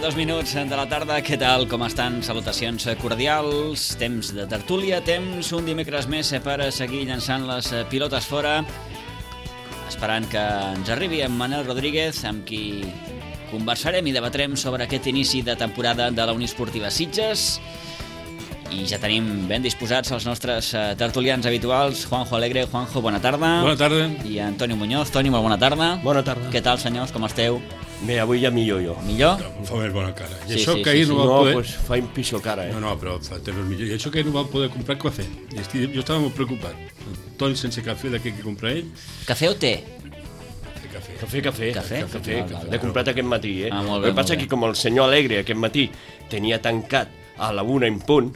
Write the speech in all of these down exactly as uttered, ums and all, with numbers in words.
dos minuts de la tarda. Què tal? Com estan? Salutacions cordials. Temps de tertúlia, temps un dimecres més per seguir llançant les pilotes fora, esperant que ens arribi en Manel Rodríguez, amb qui conversarem i debatrem sobre aquest inici de temporada de la Unió Esportiva Sitges. I ja tenim ben disposats els nostres tertulians habituals. Juanjo Alegre. Juanjo, bona tarda. Bona tarda. I Antonio Muñoz. Toni, molt bona tarda. Bona tarda. Què tal, senyors? Com esteu? Bé, avui ja millor jo. Millor? Em fa més bona cara. I Sí, això sí, que sí, ahir sí. no va No, poder... pues fa un pitjor cara, eh? No, no, però fa temps millor. I això que ahir no va poder comprar, què va fer? I estic... Jo estava molt preocupat. Toni sense cafè, de què que comprar ell? Cafè o té? Cafè. Cafè, cafè. Cafè? Cafè, Val, val, l'he comprat aquest matí, eh? Ah, molt bé, El que passa molt que com el senyor Alegre aquest matí tenia tancat a la una en punt,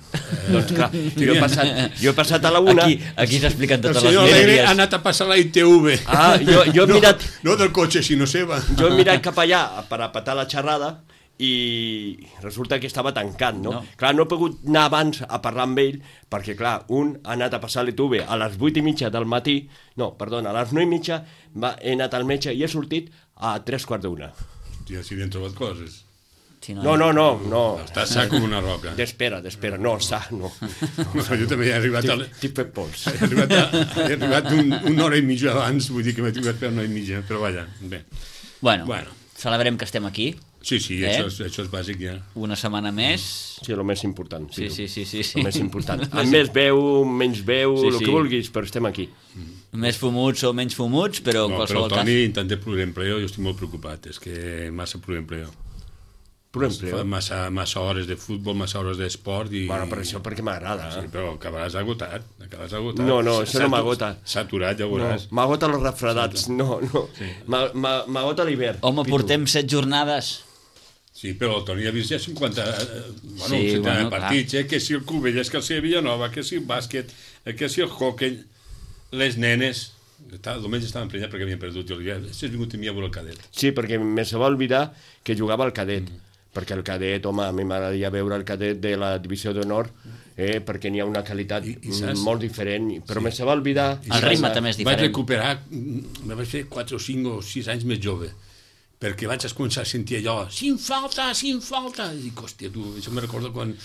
doncs clar, jo he passat, jo he passat a la una... Aquí, aquí s'expliquen El totes les senyor Alegre misèries. ha anat a passar la I T V. Ah, jo, jo he no, mirat... No del cotxe, sinó seva. Jo he mirat cap allà per apatar la xerrada i resulta que estava tancat, no? No. Clar, no he pogut anar abans a parlar amb ell perquè, clar, un ha anat a passar l'I T V a les vuit i mitja del matí, no, perdona, a les nou i mitja va, he anat al metge i he sortit a tres quarts d'una. Hòstia, si li han trobat coses. Sí, No, no, no, no. Està sa com una roca. D'espera, d'espera, no, sa, no. No, jo també he arribat, a, T'he fet pols. he arribat, a, he arribat un, una hora i mitja abans, vull dir que m'he tingut per una hora i mitja, però vaja, bé. Bueno, Bueno. celebrem que estem aquí. Sí, sí, Eh? això, és, això és bàsic ja. Una setmana més. Sí, el més important. Sí, sí, sí, sí, sí. El més important. Amb més veu, menys veu, Sí, el sí. que vulguis, però estem aquí. Més fumuts o menys fumuts, però en No, però qualsevol el cas... Toni, en tant de pluriempleo, jo estic molt preocupat. És que massa pluriempleo. Però empleo. Fa massa, massa hores de futbol, massa hores d'esport i... Bueno, per això perquè m'agrada. Sí, Eh? però acabaràs agotat, acabaràs agotat. No, no, això no S'ha- m'agota. S'ha aturat, ja ho No, veuràs. m'agota els refredats, no, no. M'a- m'a- M'agota l'hivern. Home, Pitu. portem set jornades. Sí, però el Toni ha vist ja cinquanta... Eh, bueno, Sí, sí, bueno, partits, eh? Que si el Cubelles, que si el Villanova, que si el bàsquet, eh, que si el hockey, les nenes... El diumenge estava emprenyat perquè havien perdut. Jo li deia, si has vingut a mi a veure el cadet. Sí, perquè me se va oblidar que jugava al cadet. Mm. Perquè el cadet, home, a mi m'agradaria veure el cadet de la divisió d'honor, eh, perquè n'hi ha una qualitat I- i saps? molt diferent, però sí. me se va oblidar... El ritme també és Vaig diferent. recuperar, mm, me vaig fer quatre o cinc o sis anys més jove, perquè vaig començar a sentir allò, sin falta, sin falta, i dic, hòstia, tu, això me recorda quan...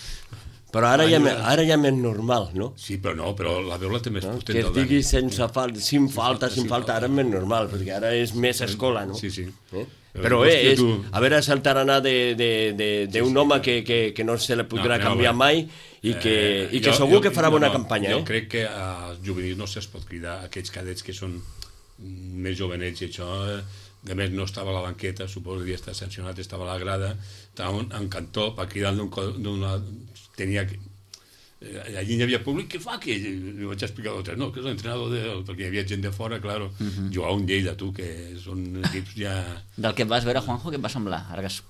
Però ara ja, Ai, me- no. ara ja m'és normal, no? Sí, però no, però la veu la té més no? potent Que es del Dani. digui sense falta, sin falta, sin sin falta, ara és més normal, perquè ara és més escola, no? Sí, sí. Eh? Però, Però hòstia, eh, és, tu- a veure si el tarannà d'un de, de, de un home que, que, que no se li podrà No, no, canviar bé. mai i que, Eh, i que jo- segur jo- que farà no, bona no, campanya, jo eh? crec que als juvenils no se'ls pot cridar aquells cadets que són mm, més jovenets i això, eh, a més no estava a la banqueta, suposo que havia estat sancionat, estava a la grada, estava un, en cantó per cridar d'un co- d'una... tenia que... eh, allí hi havia públic, què fa aquell? Li vaig explicar a l'altre, no, que és l'entrenador de... perquè hi havia gent de fora, claro, uh -huh. jugava un Lleida, tu, que són equips ja... Del que et vas veure, Juanjo, què et va semblar? Ara que has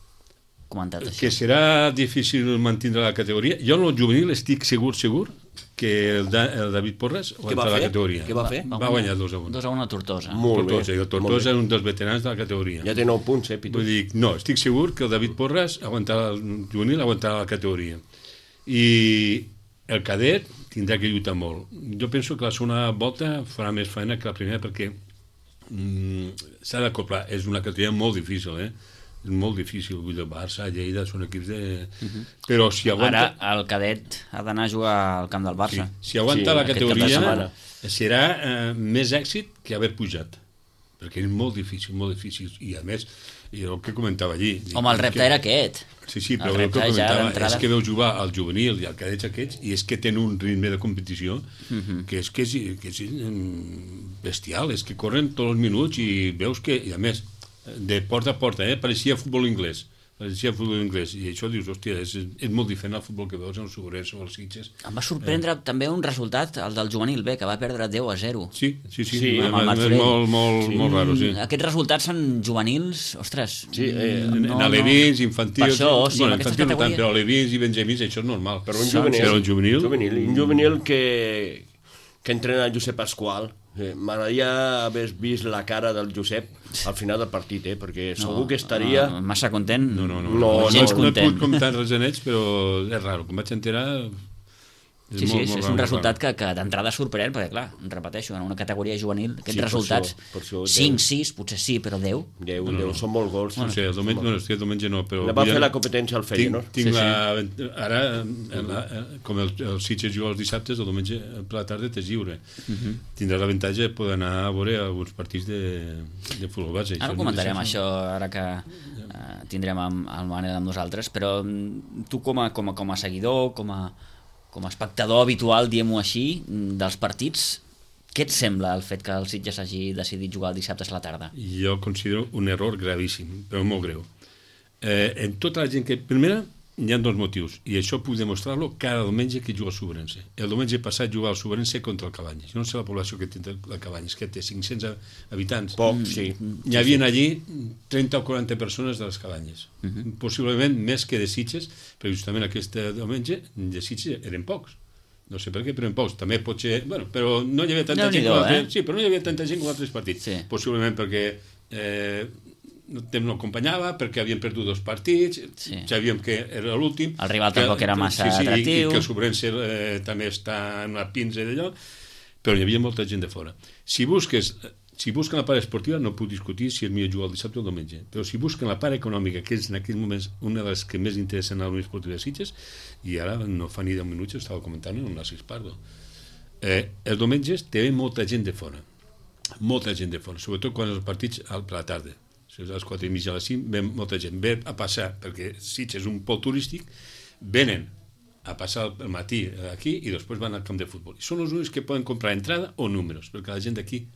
comentat això. Que serà difícil mantenir la categoria. Jo en el juvenil estic segur, segur, que el, da, el David Porres Què va aguanta la fer? categoria. Què va fer? Va guanyar dos a un. dos a un a Tortosa. Molt bé. Tortosa, i el molt Tortosa bé. és un dels veterans de la categoria. Ja té nou punts, eh, Pitu? Vull dir, no, estic segur que el David Porres aguantarà el juvenil, aguantarà la categoria. I el cadet tindrà que lluitar molt. Jo penso que la segona volta farà més feina que la primera perquè mm, s'ha d'acoplar. És una categoria molt difícil, eh? És molt difícil. Vull dir, el Barça, Lleida, són equips de... Uh -huh. Però si aguanta... Ara el cadet ha d'anar a jugar al camp del Barça. Sí, si aguanta Sí, la aquest cap de categoria setmana. serà eh, més èxit que haver pujat, perquè és molt difícil, molt difícil, i a més, i el que comentava allí... Home, el repte que, era aquest. Sí, sí, el però el, repte que ja comentava d'entrada. és que veu jugar al juvenil i al cadets aquests, i és que tenen un ritme de competició uh -huh. que és que és, que és mm, bestial, és que corren tots els minuts i veus que, i a més, de porta a porta, eh, pareixia futbol anglès, pareixia futbol anglès, i això dius, hòstia, és, és molt diferent al futbol que veus en el Sobrers o els Sitges. Em va sorprendre eh. també un resultat, el del juvenil B, que va perdre deu a zero. Sí, sí, sí, Sí, sí amb el és Martorell. molt, molt, sí. molt raro, sí. Mm, Aquests resultats en juvenils, ostres... Sí, eh, En, en alevins, infantils... Per això, sí, bueno, en aquestes infantils no tant, categories- però alevins i benjamins, això és normal. Però un Sí, juvenil, però un juvenil... juvenil, un juvenil que, que entrena Josep Pasqual. Eh, M'agradaria haver vist la cara del Josep al final del partit, eh, perquè segur que estaria... No, massa content. No, no, no. No, no, gens no, no he content. pogut comptar res en ells, però és raro. Com vaig enterar... Sí, sí, és, és un resultat que, que d'entrada sorprèn, perquè clar, repeteixo, en una categoria juvenil aquests sí, resultats, cinc, sis, potser sí, però deu. deu, no, deu, no. Són molt gols. Bueno, sí, el diumenge, bueno, el diumenge no, però... Va fer la competència al Feyenoord. Tinc, tinc sí, la, sí. Ara, la, com el, el Sitges juga els dissabtes, el diumenge per la tarda t'és lliure. Uh -huh. Tindràs l'avantatge de poder anar a veure alguns partits de, de futbol base. Ara ho comentarem, no això, ara que uh, tindrem amb, el Manel amb nosaltres, però tu com a, com a, com a seguidor, com a com a espectador habitual, diem-ho així, dels partits, què et sembla el fet que el Sitges hagi decidit jugar el dissabte a la tarda? Jo considero un error gravíssim, però molt greu. Eh, en tota la gent que... Primera, hi ha dos motius, i això puc demostrar-lo cada diumenge que juga al Subrense. El diumenge passat jugava al Subrense contra el Cabanyes. Jo no sé la població que té el Cabanyes, que té cinc-cents habitants. Poc, sí. Hi havia allí trenta o quaranta persones de les Cabanyes. Uh -huh. Possiblement més que de Sitges, perquè justament aquest diumenge de Sitges eren pocs. No sé per què, però eren pocs. També pot ser... Bueno, però no hi havia tanta no gent com altres... Eh? Sí, però no hi havia tanta gent com altres partits. Sí. Possiblement perquè... Eh, el temps no acompanyava, perquè havien perdut dos partits, sí. Sabíem que era l'últim. El rival tampoc era massa sí, sí, atractiu. I que el Subrense eh, també està en una pinça d'allò, però hi havia molta gent de fora. Si busques, si busquen la part esportiva, no puc discutir si és millor jugar el dissabte o el diumenge, però si busquen la part econòmica, que és en aquells moments una de les que més interessen a l'Unió Esportiva de Sitges, i ara no fa ni deu minuts, estava comentant amb Narcís Pardo. Eh, els diumenges té molta gent de fora, molta gent de fora, sobretot quan els partits a la tarda. A les quatre i mitja a les cinc, ve molta gent, ve a passar, perquè Sitges és un pol turístic, venen a passar el matí aquí i després van al camp de futbol. I són els únics que poden comprar entrada o números, perquè la gent d'aquí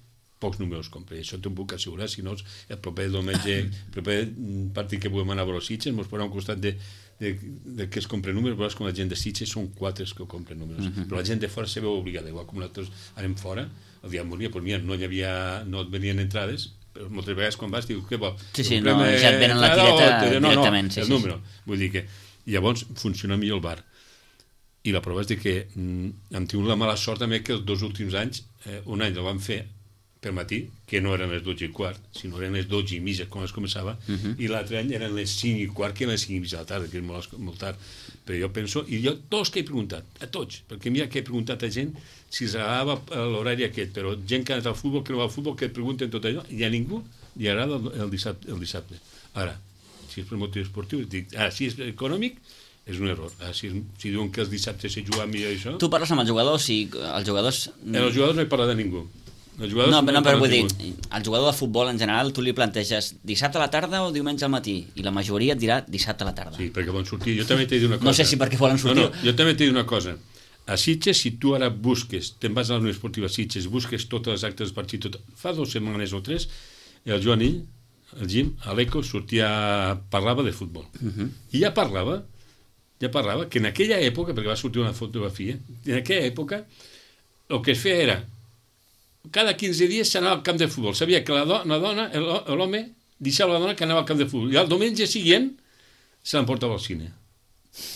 pocs números compra, i això t'ho puc assegurar, si no el proper diumenge, el proper partit que puguem anar a veure els Sitges, ens posarà un costat de, de, de que es compren números, veuràs com la gent de Sitges són quatre que compren números, uh -huh. Però la gent de fora se veu obligada, igual com nosaltres anem fora, el dia moria, pues mira, no hi havia, no et venien entrades, però moltes vegades quan vas dius, què vol? Sí, sí, no, ja et venen la tireta o, no, directament. No, sí, el sí, número. Sí. Vull dir que llavors funciona millor el bar. I la prova és de que mm, hem tingut la mala sort també que els dos últims anys, eh, un any el vam fer per matí, que no eren les dotze i quart, sinó eren les dotze i mitja quan es començava, uh -huh. I l'altre any eren les cinc i quart, que eren les cinc i mitja de la tarda, que és molt, molt tard. Però jo penso, i jo tots que he preguntat, a tots, perquè mira que he preguntat a gent si els agradava l'horari aquest, però gent que ha anat al futbol, que no va al futbol, que et pregunten tot allò, i a ningú li agrada el, el, dissabte, el dissabte. Ara, si és per motiu esportiu, dic, ara, si és econòmic, és un error. Ara, si, si diuen que els dissabtes se juga millor això... Tu parles amb els jugadors i els jugadors... En els jugadors no he parlat de ningú. No, no, no, però vull dir, el jugador de futbol en general tu li planteges dissabte a la tarda o diumenge al matí, i la majoria et dirà dissabte a la tarda. Sí, perquè volen sortir. Jo també t'he dit una cosa. No sé si perquè volen sortir. No, no, jo també t'he dit una cosa. A Sitges, si tu ara busques, te'n vas a la Unió Esportiva Sitges, busques totes les actes del partit, tot, fa dues setmanes o tres, el Joan Ill, el Jim, a l'Eco, sortia, parlava de futbol. Uh -huh. I ja parlava, ja parlava, que en aquella època, perquè va sortir una fotografia, en aquella època, el que es feia era cada quinze dies s'anava al camp de futbol. Sabia que la, do la dona, l'home, deixava la dona que anava al camp de futbol. I el diumenge següent se l'emportava al cine.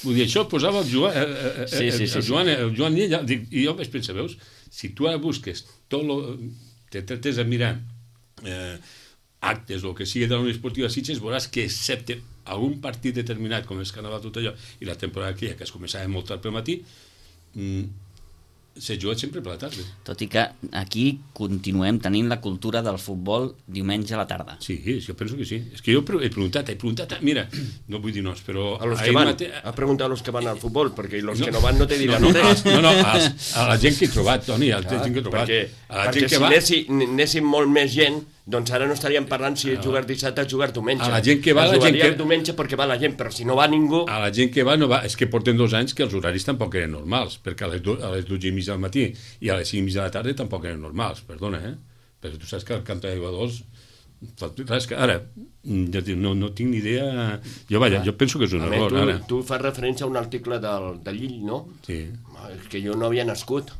Vull dir, això posava el Joan, eh, sí, sí, sí, el Joan, el Joan i, ella, i jo vaig pensar, veus, si tu ara busques tot lo, te trates de mirar eh, actes o que sigui de la Unió Esportiva Sitges, veuràs que excepte algun partit determinat, com és Carnaval tot allò, i la temporada aquella, que es començava molt tard pel matí, mm, se juga sempre per la tarda. Tot i que aquí continuem tenint la cultura del futbol diumenge a la tarda. Sí, jo penso que sí. És que jo he preguntat, he preguntat, mira, no vull dir noms, però... A los que van, mate... ha preguntat a los que van al futbol, perquè los no, que no van no te diran no, no, res. No, no, a, a la gent que he trobat, Toni, a la gent que he trobat. Perquè, a la perquè gent que si va... anéssim, anéssim molt més gent, doncs ara no estaríem parlant si és jugar dissabte o jugar diumenge. A la gent que va, la gent que... diumenge perquè va la gent, però si no va ningú... A la gent que va no va... És que portem dos anys que els horaris tampoc eren normals, perquè a les, do... a les dotze i mitja del matí i a les cinc i mitja de la tarda tampoc eren normals, perdona, eh? Perquè tu saps que el camp de jugadors... Ara, no, no tinc ni idea... Jo, vaja, jo penso que és un a error, tu, ara. Tu fas referència a un article del, de Llill, no? Sí. És que jo no havia nascut.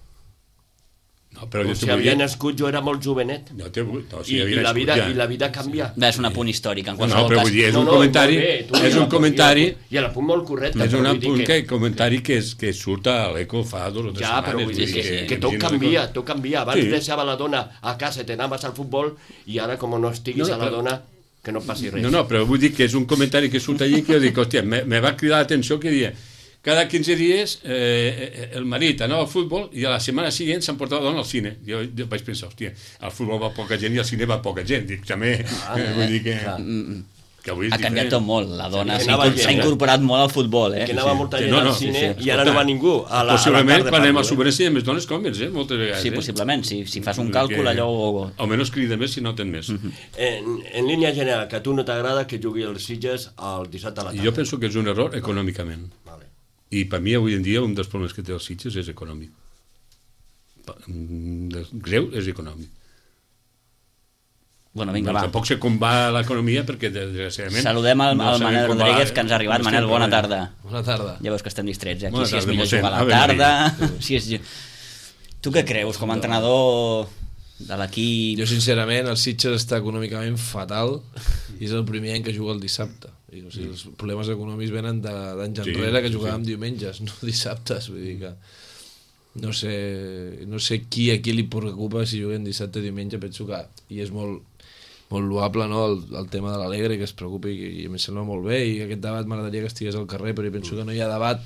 No, però si havia dir... nascut jo era molt jovenet. No, te... no, si I, i, la vida, ja. I la vida canvia. Sí. És un apunt històric, en no, qualsevol no, però cas. Vull dir, és no, un no, comentari... Bé, és un comentari... I l'apunt molt correcte. És un apunt que... que, comentari que, és, que surt a l'Eco fa dos o tres ja, setmanes. Però vull dir que, que, que tot canvia, tot canvia. Abans sí. Deixava la dona a casa i t'anaves al futbol i ara, com no estiguis no, no, a la però... dona, que no passi res. No, no, però vull dir que és un comentari que surt allí que jo dic, hòstia, me, me va cridar l'atenció que dia cada quinze dies eh, el marit anava al futbol i a la setmana següent s'emportava la dona al cine. Jo, jo vaig pensar, hòstia, al futbol va poca gent i al cine va poca gent. Dic, també, ah, eh, vull dir que... que avui ha canviat tot molt, la dona Sí, s'ha anava incorporat, gent, s'ha eh? incorporat molt al futbol, eh? Que anava sí. molta Sí, gent no, al no, cine sí, sí. i ara no va ningú. A la, Possiblement, a la tarda quan anem a parlo, eh? Sobrense hi ha més dones que homes, eh? Moltes vegades. Sí, eh? possiblement, si, si fas un Vull dir càlcul que allò... Almenys crida més si no ten més. En, en línia general, que a tu no t'agrada que jugui els Sitges el dissabte a la tarda. Jo penso que és un error econòmicament. Vale. I per mi avui en dia un dels problemes que té els Sitges és econòmic. Pa- mm, Greu és econòmic. Bueno, vinga, Bueno, va. tampoc sé com va l'economia perquè desgraciadament... Saludem al, no al sabem Manel com va, Rodríguez, eh? que ens ha arribat. Com Manel, estem bona treballant. tarda. Bona tarda. Ja veus que estem distrets, eh? Aquí Bona si és tarda, millor mossèn. jugar a la Ave tarda... Si és... Tu què creus, com a entrenador de l'equip? Jo, sincerament, el Sitges està econòmicament fatal i és el primer any que juga el dissabte. I, o sigui, els problemes econòmics venen de- d'anys Sí, enrere que sí, jugàvem sí. diumenges, no dissabtes. Vull dir que no sé, no sé qui a qui li preocupa si juguem dissabte o diumenge. Penso que, i és molt, molt loable, no? el, el tema de l'Alegre, que es preocupi, i, i em sembla molt bé, i aquest debat m'agradaria que estigués al carrer, però jo penso que no hi ha debat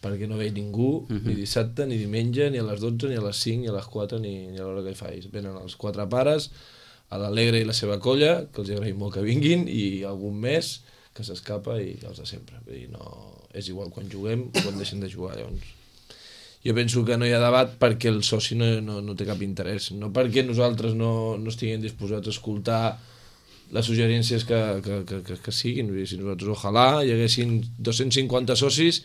perquè no ve ningú, Mhm. ni dissabte, ni diumenge, ni a les dotze, ni a les cinc, ni a les quatre, ni, ni a l'hora que facis. Venen els quatre pares, a l'Alegre i la seva colla, que els agraïm molt que vinguin, i algun més que s'escapa i els de sempre. Vull dir, no, és igual quan juguem o quan deixen de jugar, llavors. Jo penso que no hi ha debat perquè el soci no, no, no té cap interès, no perquè nosaltres no, no estiguem disposats a escoltar les suggerències que, que, que, que, que siguin. Vull dir, si nosaltres ojalà hi haguessin dos-cents cinquanta socis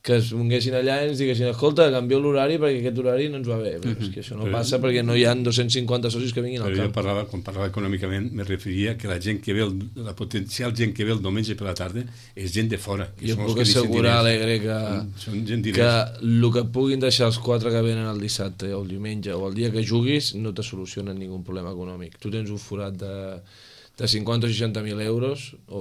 que es vinguessin allà i ens diguessin, escolta, canvieu l'horari perquè aquest horari no ens va bé. Però és que això no passa perquè no hi ha dos-cents cinquanta socis que vinguin al Però jo camp. parlava, quan parlava econòmicament, me referia que la gent que ve, el, la potencial gent que ve el diumenge per la tarda és gent de fora. Que Jo són els puc que deixen assegurar, diners. Alegre, que, Són gent que diners. el que puguin deixar els quatre que venen el dissabte o el diumenge o el dia que juguis no te solucionen ningun problema econòmic. Tu tens un forat de, de cinquanta o seixanta mil euros o,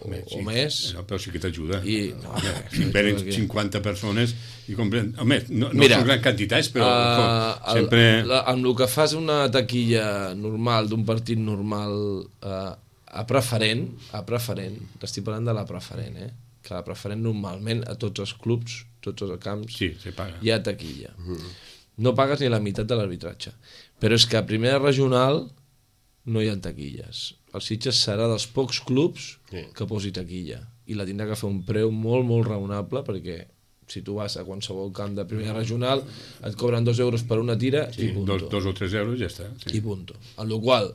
Home, o sí, més. No, però sí que t'ajuda. I- No, no, home, no, si no venen t'ajuda aquí. cinquanta persones i compren... Home, no, no Mira, són grans quantitats, però Uh, uh, sempre... el, la, amb el que fas una taquilla normal d'un partit normal uh, a preferent, a preferent, t'estic parlant de la preferent, eh? Que la preferent normalment a tots els clubs, tots els camps, Sí, se paga. hi ha taquilla. No pagues ni la meitat de l'arbitratge. Però és que a primera regional no hi ha taquilles. El Sitges serà dels pocs clubs Sí. que posi taquilla i la tindrà que fer un preu molt, molt raonable perquè si tu vas a qualsevol camp de primera regional et cobren dos euros per una tira Sí, i punto. dos, dos o tres euros ja està. Sí. I punto. En la qual,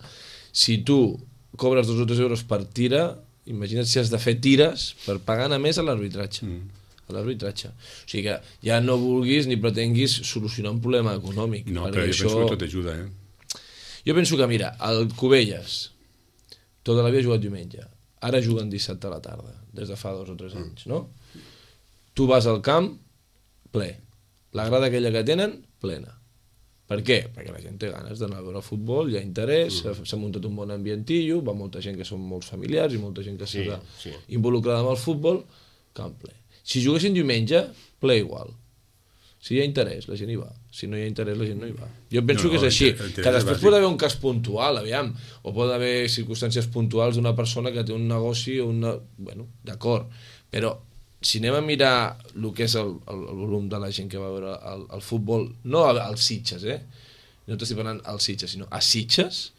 si tu cobres dos o tres euros per tira, imagina't si has de fer tires per pagar a més a l'arbitratge. Mm. A l'arbitratge. O sigui que ja no vulguis ni pretenguis solucionar un problema econòmic. No, perquè però jo això... penso que tot ajuda, eh? Jo penso que, mira, el Cubelles tota la vida ha jugat diumenge. Ara juguen dissabte a la tarda, des de fa dos o tres anys, no? Tu vas al camp, ple. La grada aquella que tenen, plena. Per què? Perquè la gent té ganes d'anar a veure el futbol, hi ha interès, s'ha s'ha muntat un bon ambientillo, va molta gent que són molts familiars i molta gent que Sí, està sí. involucrada amb el futbol, camp ple. Si juguessin diumenge, ple igual. Si hi ha interès, la gent hi va. Si no hi ha interès, la gent no hi va. Jo penso No, que és no, així. el interès Que és després bàsic. pot haver un cas puntual, aviam, o pot haver circumstàncies puntuals d'una persona que té un negoci o una... Bueno, d'acord, però si anem a mirar el que és el, el, el volum de la gent que va veure el, el futbol, no als Sitges, eh? No t'estic parlant als Sitges, sinó a Sitges,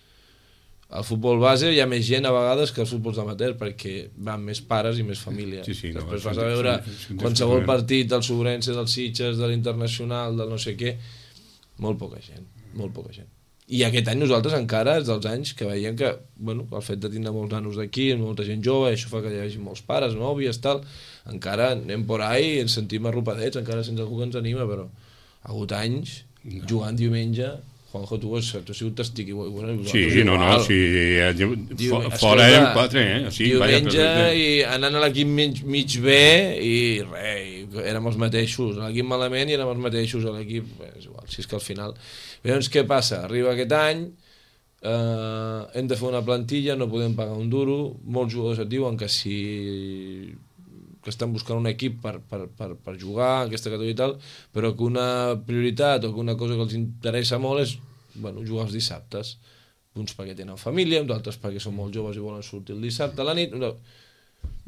al futbol base hi ha més gent a vegades que als futbols amateur perquè van més pares i més família. Sí, sí, no, Després són- vas a veure són- són qualsevol diferents. partit del Sobrense, del Sitges, de l'Internacional, del no sé què, molt poca gent, molt poca gent. I aquest any nosaltres encara és dels anys que veiem que, bueno, el fet de tindre molts nanos d'aquí, molta gent jove, això fa que hi hagi molts pares, nòvies, tal, encara anem por ahí i ens sentim arropadets, encara sense algú que ens anima, però ha hagut anys jugant diumenge. Juanjo, tu has, tu has sigut testig igual. Bueno, Sí, no, no, sí, eh, Diu, fo- escolta, fora eren quatre, eh? Sí, vaja, diumenge perfecte. i anant a l'equip mig, mig bé i res, i érem els mateixos a l'equip malament i érem els mateixos a l'equip, bé, és igual, si és que al final llavors què passa? Arriba aquest any eh, hem de fer una plantilla, no podem pagar un duro, molts jugadors et diuen que si que estan buscant un equip per, per, per, per jugar en aquesta categoria i tal, però que una prioritat o que una cosa que els interessa molt és bueno, jugar els dissabtes, uns perquè tenen família, d'altres perquè són molt joves i volen sortir el dissabte a la nit. No.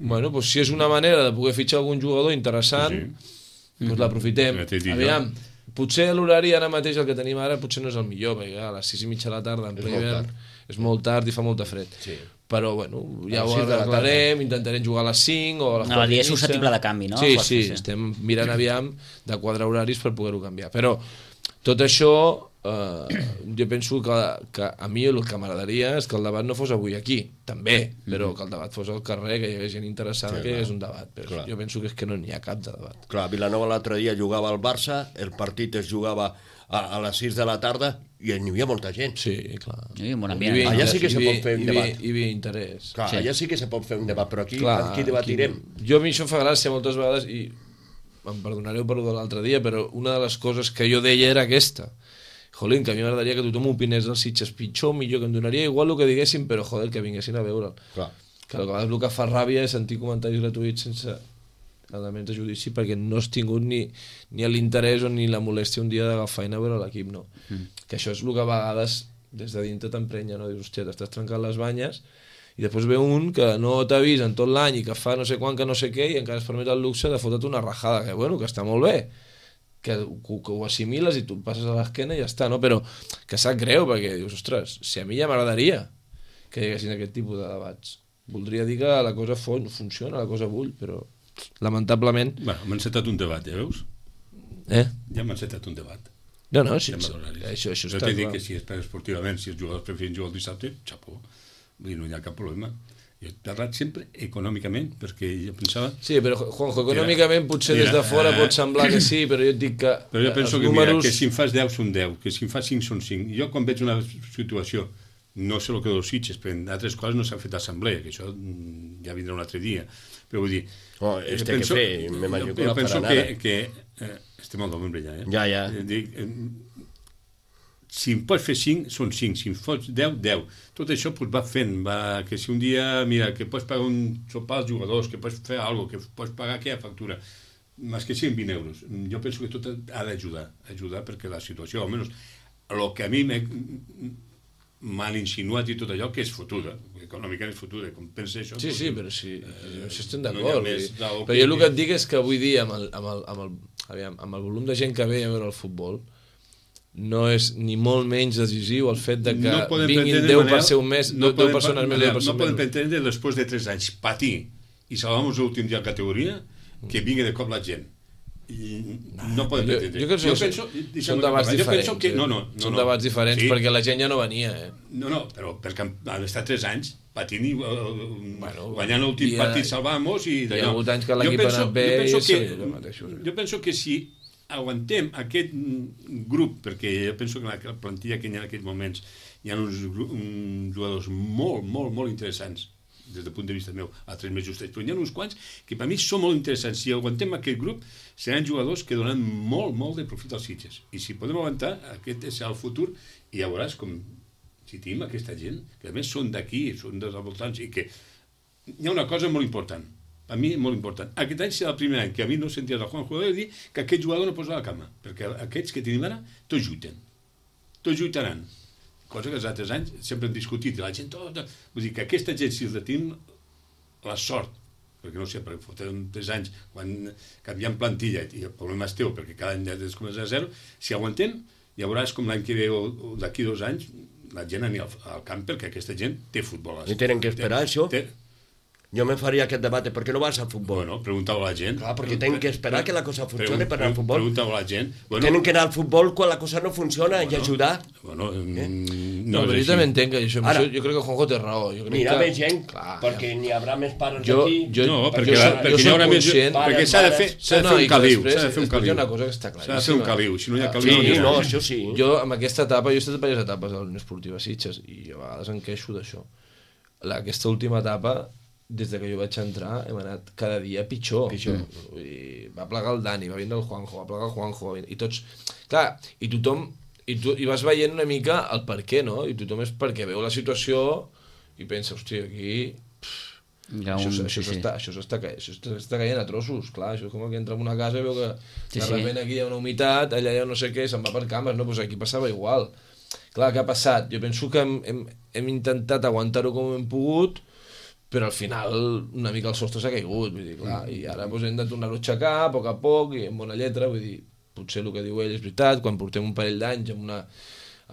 Bueno, doncs si és una manera de poder fitxar algun jugador interessant, Sí, doncs l'aprofitem. Ja t'he dit jo. Aviam, potser l'horari ara mateix el que tenim ara potser no és el millor, perquè a les sis i mitja de la tarda en ple molt hivern és molt tard i fa molta fred. Sí. Però, bueno, ja A les ho sis de la arreglarem, intentarem jugar a les cinc o a les No, quatre el dia i és mitja. susceptible de canvi, no? Sí, Força, sí, sí. estem mirant aviam de quadrar horaris per poder-ho canviar. Però tot això, eh, jo penso que, que a mi el que m'agradaria és que el debat no fos avui aquí, també, però que el debat fos al carrer, que hi hagués gent interessada, Sí, que hi hagués clar. un debat. Però Clar. jo penso que és que no n'hi ha cap de debat. Clar, Vilanova l'altre dia jugava al Barça, el partit es jugava a, a les sis de la tarda i hi havia molta gent. Sí, clar. Hi havia un bon Hi ambient. havia no? Allà inter- sí que hi se havia- pot fer un hi havia- debat. Hi havia interès. Clar, Sí. allà sí que se pot fer un debat, però aquí, Clar, aquí debatirem. aquí- Jo a mi això em fa gràcia moltes vegades i em perdonareu per de l'altre dia, però una de les coses que jo deia era aquesta. Jolín, que a mi m'agradaria que tothom opinés dels Sitges pitjor o millor, que em donaria igual el que diguessin, però joder, que vinguessin a veure'l. Clar. Que a vegades el que fa ràbia és sentir comentaris gratuïts sense elements de judici perquè no has tingut ni, ni l'interès o ni la molèstia un dia d'agafar i anar a veure l'equip, no. Mm. Que això és el que a vegades des de dintre t'emprenya, no? Dius, hòstia, t'estàs trencant les banyes i després ve un que no t'ha vist en tot l'any i que fa no sé quan, que no sé què, i encara es permet el luxe de fotre't una rajada, que bueno, que està molt bé, que, que, que ho assimiles i tu et passes a l'esquena i ja està, no? Però que sap greu, perquè dius, ostres, si a mi ja m'agradaria que hi haguessin aquest tipus de debats. Voldria dir que la cosa fon, funciona, la cosa bull, però lamentablement... Bueno, m'ha encetat un debat, ja veus? Eh? Ja m'ha encetat un debat. No, no, sí, Tema sí, d'horaris. això, això Jo està t'he dit clar. que si és per esportivament, si els jugadors preferien jugar el dissabte, xapó. Vull dir, no hi ha cap problema. Jo he parlat sempre econòmicament, perquè jo pensava... Sí, però Juanjo, econòmicament potser mira, des de fora eh, pot semblar que sí, però jo et dic que Però jo penso els que, números... mira, que si em fas deu són deu, que si em fas cinc són cinc. Jo quan veig una situació, no sé el que dels Sitges, però en altres coses no s'ha fet assemblea, que això mm, ja vindrà un altre dia. Però vull dir... Oh, jo este que fer, me imagino que jo no penso farà que, nada. que eh, estem al novembre ja, eh? Ja, ja. Eh, Dic, eh, si em pots fer cinc, són cinc. Si em fots deu, deu. Tot això pues, va fent, va, que si un dia, mira, que pots pagar un sopar als jugadors, que pots fer alguna cosa, que pots pagar aquella factura, més que siguin vint euros. Jo penso que tot ha d'ajudar, ajudar perquè la situació, almenys, el que a mi m'han insinuat i tot allò, que és fotuda, econòmicament és fotuda, com pensa això... Sí, pues, sí, però sí, eh, això estem no hi ha d'acord. més vull dir. del Però que- jo el que et dic és que avui dia, amb el, amb el, amb el, aviam, amb el volum de gent que ve a veure el futbol, no és ni molt menys decisiu el fet de que podem vinguin pretendre, deu Manel, per ser un mes, no deu podem persones pa- més, deu no persones podem menys. pretendre, després de tres anys, patir i salvamos l'últim dia de categoria, que vingui de cop la gent. I no podem Jo, pretendre. jo crec que Jo són, penso- deixa'm són acabar. debats Jo diferents. penso que- eh? no, no, no, són no. debats diferents Sí. perquè la gent ja no venia, eh? No, no, però perquè han estat tres anys patint i uh, Bueno, guanyant l'últim hi ha- partit salvant-nos i hi ha d'allò. hagut anys que Jo l'equip ha penso- anat bé jo penso i que, sí, jo mateixos. jo penso que si aguantem aquest mm, grup, perquè jo penso que en la plantilla que hi ha en aquests moments hi ha uns, gru- uns jugadors molt, molt, molt interessants des del punt de vista meu, altres més justets, però hi ha uns quants que per mi són molt interessants. Si aguantem aquest grup, seran jugadors que donen molt, molt de profit als Sitges. I si podem aguantar, aquest serà el futur, i ja veuràs com, si tenim aquesta gent, que a més són d'aquí, són dels voltants, i que hi ha una cosa molt important, a mi molt important. Aquest any serà el primer any que a mi no senties el Juan Jugador dir que aquest jugador no posa la cama, perquè aquests que tenim ara, tots lluiten. Tots lluitaran. Cosa que els altres anys sempre hem discutit, i la gent tota... Vull dir que aquesta gent, si els tenim la sort, perquè no sé, perquè fotem tres anys quan canviem plantilla i el problema és teu, perquè cada any ja és començar a zero, si aguantem, ja veuràs com l'any que ve o, o d'aquí dos anys la gent anirà al, al camp perquè aquesta gent té futbol. I tenen que esperar, té, això? Té, Jo me faria aquest debat, per què no vas al futbol? bueno, preguntava a la gent. Clar, perquè tenen que esperar que la cosa funcione per anar al Pregun- futbol. Preguntava a la gent. Bueno, Tenen que anar al futbol quan la cosa no funciona i ajudar. Bueno, Eh? mm, No, no, però és jo també així. entenc que això, Ara- això, jo crec que Juanjo té raó. Jo crec Mira que... més gent, Clar, perquè n'hi haurà més pares Jo- aquí. jo- No, jo perquè, soc- la, jo perquè hi soc haurà més... conscient- Perquè s'ha de fer, s'ha de No, fer i un que caliu, després- s'ha de fer un després hi ha caliu. una cosa que està S'ha de fer un claríssima. caliu, si no hi ha caliu... Sí, no hi ha no, res. això sí. Jo, amb aquesta etapa, jo he estat a diverses etapes de la Unió Esportiva Sitges i a vegades em queixo d'això. La- Aquesta última etapa, des de que jo vaig entrar, hem anat cada dia pitjor. Pitjor. Vull dir, va plegar el Dani, va vindre el Juanjo, va plegar el Juanjo, va vindre, i tots... Clar, i tothom... I, tu, I vas veient una mica el per què, no? I tothom és perquè veu la situació i pensa, hòstia, aquí... Hi ha Això, un- això, sí, sí. s'està, això, s'està, ca- això s'està s'està caient a trossos, clar, això és com que entra en una casa i veu que Sí, de sí. repente aquí hi ha una humitat, allà hi ha no sé què, se'n va per cames, no? Pues aquí passava igual. Clar, què ha passat? Jo penso que hem, hem, hem intentat aguantar-ho com hem pogut, però al final una mica el sostre s'ha caigut, vull dir, clar, i ara doncs, hem de tornar-ho a aixecar a poc a poc i amb bona lletra, vull dir, potser el que diu ell és veritat, quan portem un parell d'anys amb una,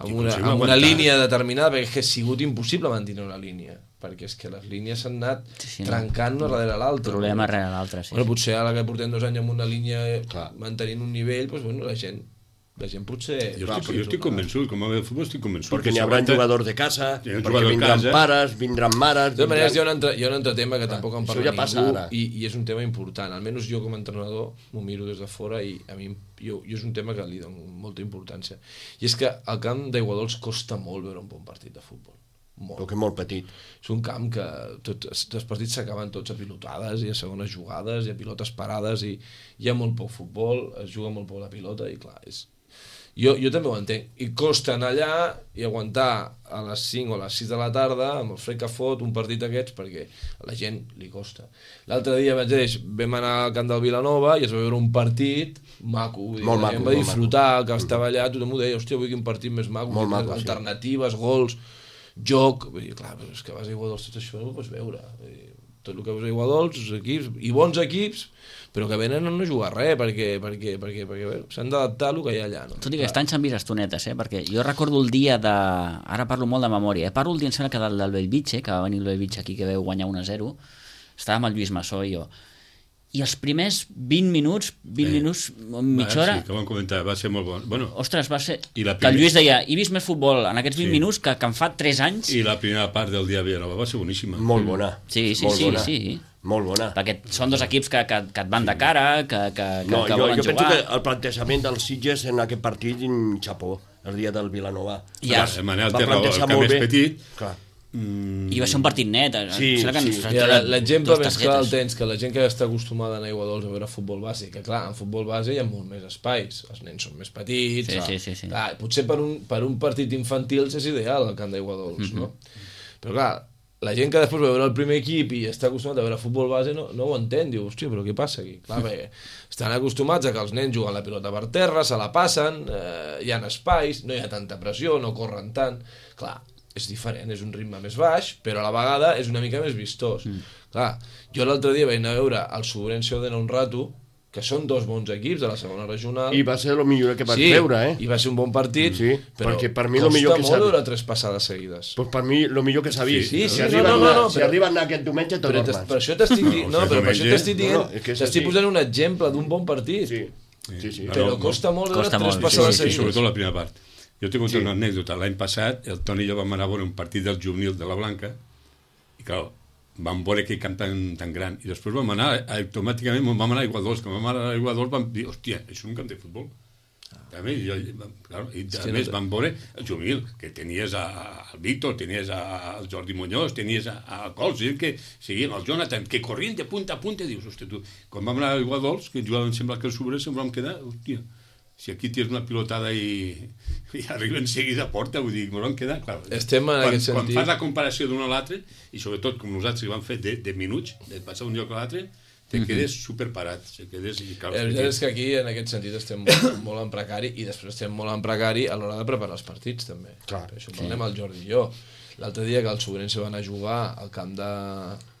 amb una, amb una línia determinada, perquè és que ha sigut impossible mantenir una línia, perquè és que les línies s'han anat sí, sí, trencant no. una darrere l'altra. Problema darrere l'altre, sí. Bueno, potser ara que portem dos anys amb una línia clar. mantenint un nivell, doncs, bueno, la gent la gent potser... Jo estic, jo estic convençut, com a de futbol estic convençut. Perquè n'hi haurà jugadors de casa, perquè vindran pares, vindran mares... De totes maneres, hi ha un altre, hi ha un altre tema que ah, tampoc en parla ja ningú i, i és un tema important. Almenys jo com a entrenador m'ho miro des de fora i a mi jo, jo és un tema que li dono molta importància. I és que al camp d'Aiguadols costa molt veure un bon partit de futbol. Molt. Perquè és molt petit. És un camp que tot, els partits s'acaben tots a pilotades i a segones jugades i a pilotes parades i hi ha molt poc futbol, es juga molt poc la pilota i clar, és... Jo, jo també ho entenc. I costa anar allà i aguantar a les cinc o a les sis de la tarda amb el fred que fot un partit d'aquests perquè a la gent li costa. L'altre dia vaig dir, vam anar al camp del Vilanova i es va veure un partit maco. Dir, molt la maco. Gent va disfrutar, que mm. estava allà, tothom ho deia, hòstia, vull quin partit més maco, molt maco alternatives, sí. gols, joc. Vull dir, clar, però és que vas a Aiguadols, tot això no ho pots veure. Vull dir, tot el que vas a Aiguadols, equips, i bons equips, però que venen a no jugar res, perquè, perquè, perquè, perquè bé, s'han d'adaptar al que hi ha allà. No? Tot i que estan s'han vist estonetes, eh? Perquè jo recordo el dia de... Ara parlo molt de memòria, eh? Parlo el dia, em sembla que del, del Bellvitge, que va venir el Bellvitge aquí, que veu guanyar un a zero, estava amb el Lluís Massó i jo. I els primers vint minuts, vint eh, minuts, mitja hora... Sí, que vam comentar, va ser molt bon. Bueno, ostres, va ser... Primer... Que el Lluís deia, he vist més futbol en aquests vint sí. minuts que, que em fa tres anys... I la primera part del dia Vilanova va ser boníssima. Molt bona. Sí, sí, molt sí, bona. sí. Molt bona. Perquè són dos equips que, que, que et van de cara, que, que, no, que jo, volen jo jugar... Jo penso que el plantejament dels Sitges en aquest partit, en xapó, el dia del Vilanova. Ja. El Manel té raó, el camp és petit... Clar. Mm. I va ser un partit net. Sí, sí. L'exemple més clar el tens que la gent que està acostumada a Aiguadols a veure futbol base, que clar, en futbol base hi ha molt més espais, els nens són més petits, sí, sí, sí, sí. Clar, potser per un, per un partit infantil és ideal el camp d'Aiguadols, mm-hmm. no? Però clar, la gent que després va veure el primer equip i està acostumada a veure futbol base no, no ho entén, diu, hòstia, però què passa aquí? Clar, bé, estan acostumats a que els nens juguen la pilota per terra, se la passen, eh, hi ha espais, no hi ha tanta pressió, no corren tant, clar, és diferent, és un ritme més baix, però a la vegada és una mica més vistós. Mm. Clar, jo l'altre dia vaig anar a veure el Sobrense Odena un rato, que són dos bons equips de la segona regional. I va ser el millor que vaig sí, veure, eh? i va ser un bon partit, sí, però perquè per mi lo millor que costa molt veure tres passades seguides. Pues per mi el millor que s'ha vist. Sí, sí, si sí, arriben, no, no, no, si però, arriben aquest diumenge tot normal. Per això t'estic dient, no, no, però per això t'estic dient, no, no, t'estic posant un exemple d'un bon partit. Sí, sí, sí. Però no, costa molt veure costa tres molt, passades sí, seguides. Sobretot la primera part. Jo tinc sí. una anècdota. L'any passat, el Toni i jo vam anar a veure un partit del juvenil de la Blanca i, clar, vam veure aquell camp tan, tan gran. I després vam anar, automàticament, vam anar a Aiguadols. Quan vam anar a Aiguadols vam dir, hòstia, això és un camp de futbol. També, i, clar, i a més vam veure el juvenil, que tenies al Víctor, tenies al Jordi Muñoz, tenies a Cols, que seguien, el Jonathan, que corrien de punta a punta, i dius, hòstia, tu, quan vam anar a Aiguadols, que jugaven, sembla que el Sobrer, sempre vam quedar, hòstia, si aquí tens una pilotada i, i arriba en seguida a porta, vull dir, m'ho vam quedar, clar. Estem en quan, aquest sentit. Quan fas la comparació d'un a l'altre, i sobretot com nosaltres que vam fer de, de minuts, de passar d'un lloc a l'altre, te quedes mm-hmm. superparat. Se quedes, i cal, la veritat és que aquí, en aquest sentit, estem molt, molt en precari, i després estem molt en precari a l'hora de preparar els partits, també. Clar, per això parlem sí. el Jordi i jo. L'altre dia que el Sobrense va anar a jugar al camp de...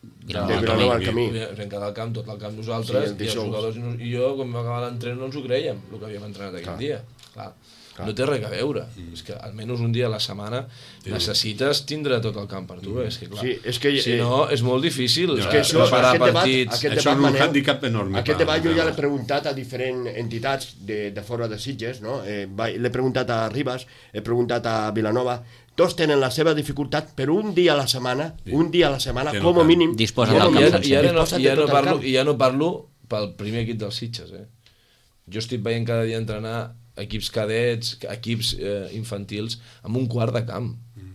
De Vilanova al camí. Vam quedar al camp, tot el camp nosaltres, sí, i els jugadors i jo, quan vam acabar l'entrenament, no ens ho creiem, el que havíem entrenat aquell dia. Clar. Clar. No té res a veure. Mm. És que almenys un dia a la setmana sí. necessites tindre tot el camp per tu. Mm. És que, clar, sí, és que, si no, és molt difícil. És que això, preparar aquest partits... Debat, aquest això debat, és un handicap enorme. Aquest debat jo ja l'he preguntat a diferents entitats de, de fora de Sitges, no? Eh, l'he preguntat a Ribas, he preguntat a Vilanova. Tots tenen la seva dificultat, però un dia a la setmana, sí. un dia a la setmana, sí, com a mínim... Disposa del camp. I ara no, ja no, parlo, ja no parlo pel primer equip dels Sitges. Eh? Jo estic veient cada dia entrenar equips cadets, equips eh, infantils, amb un quart de camp. Mm.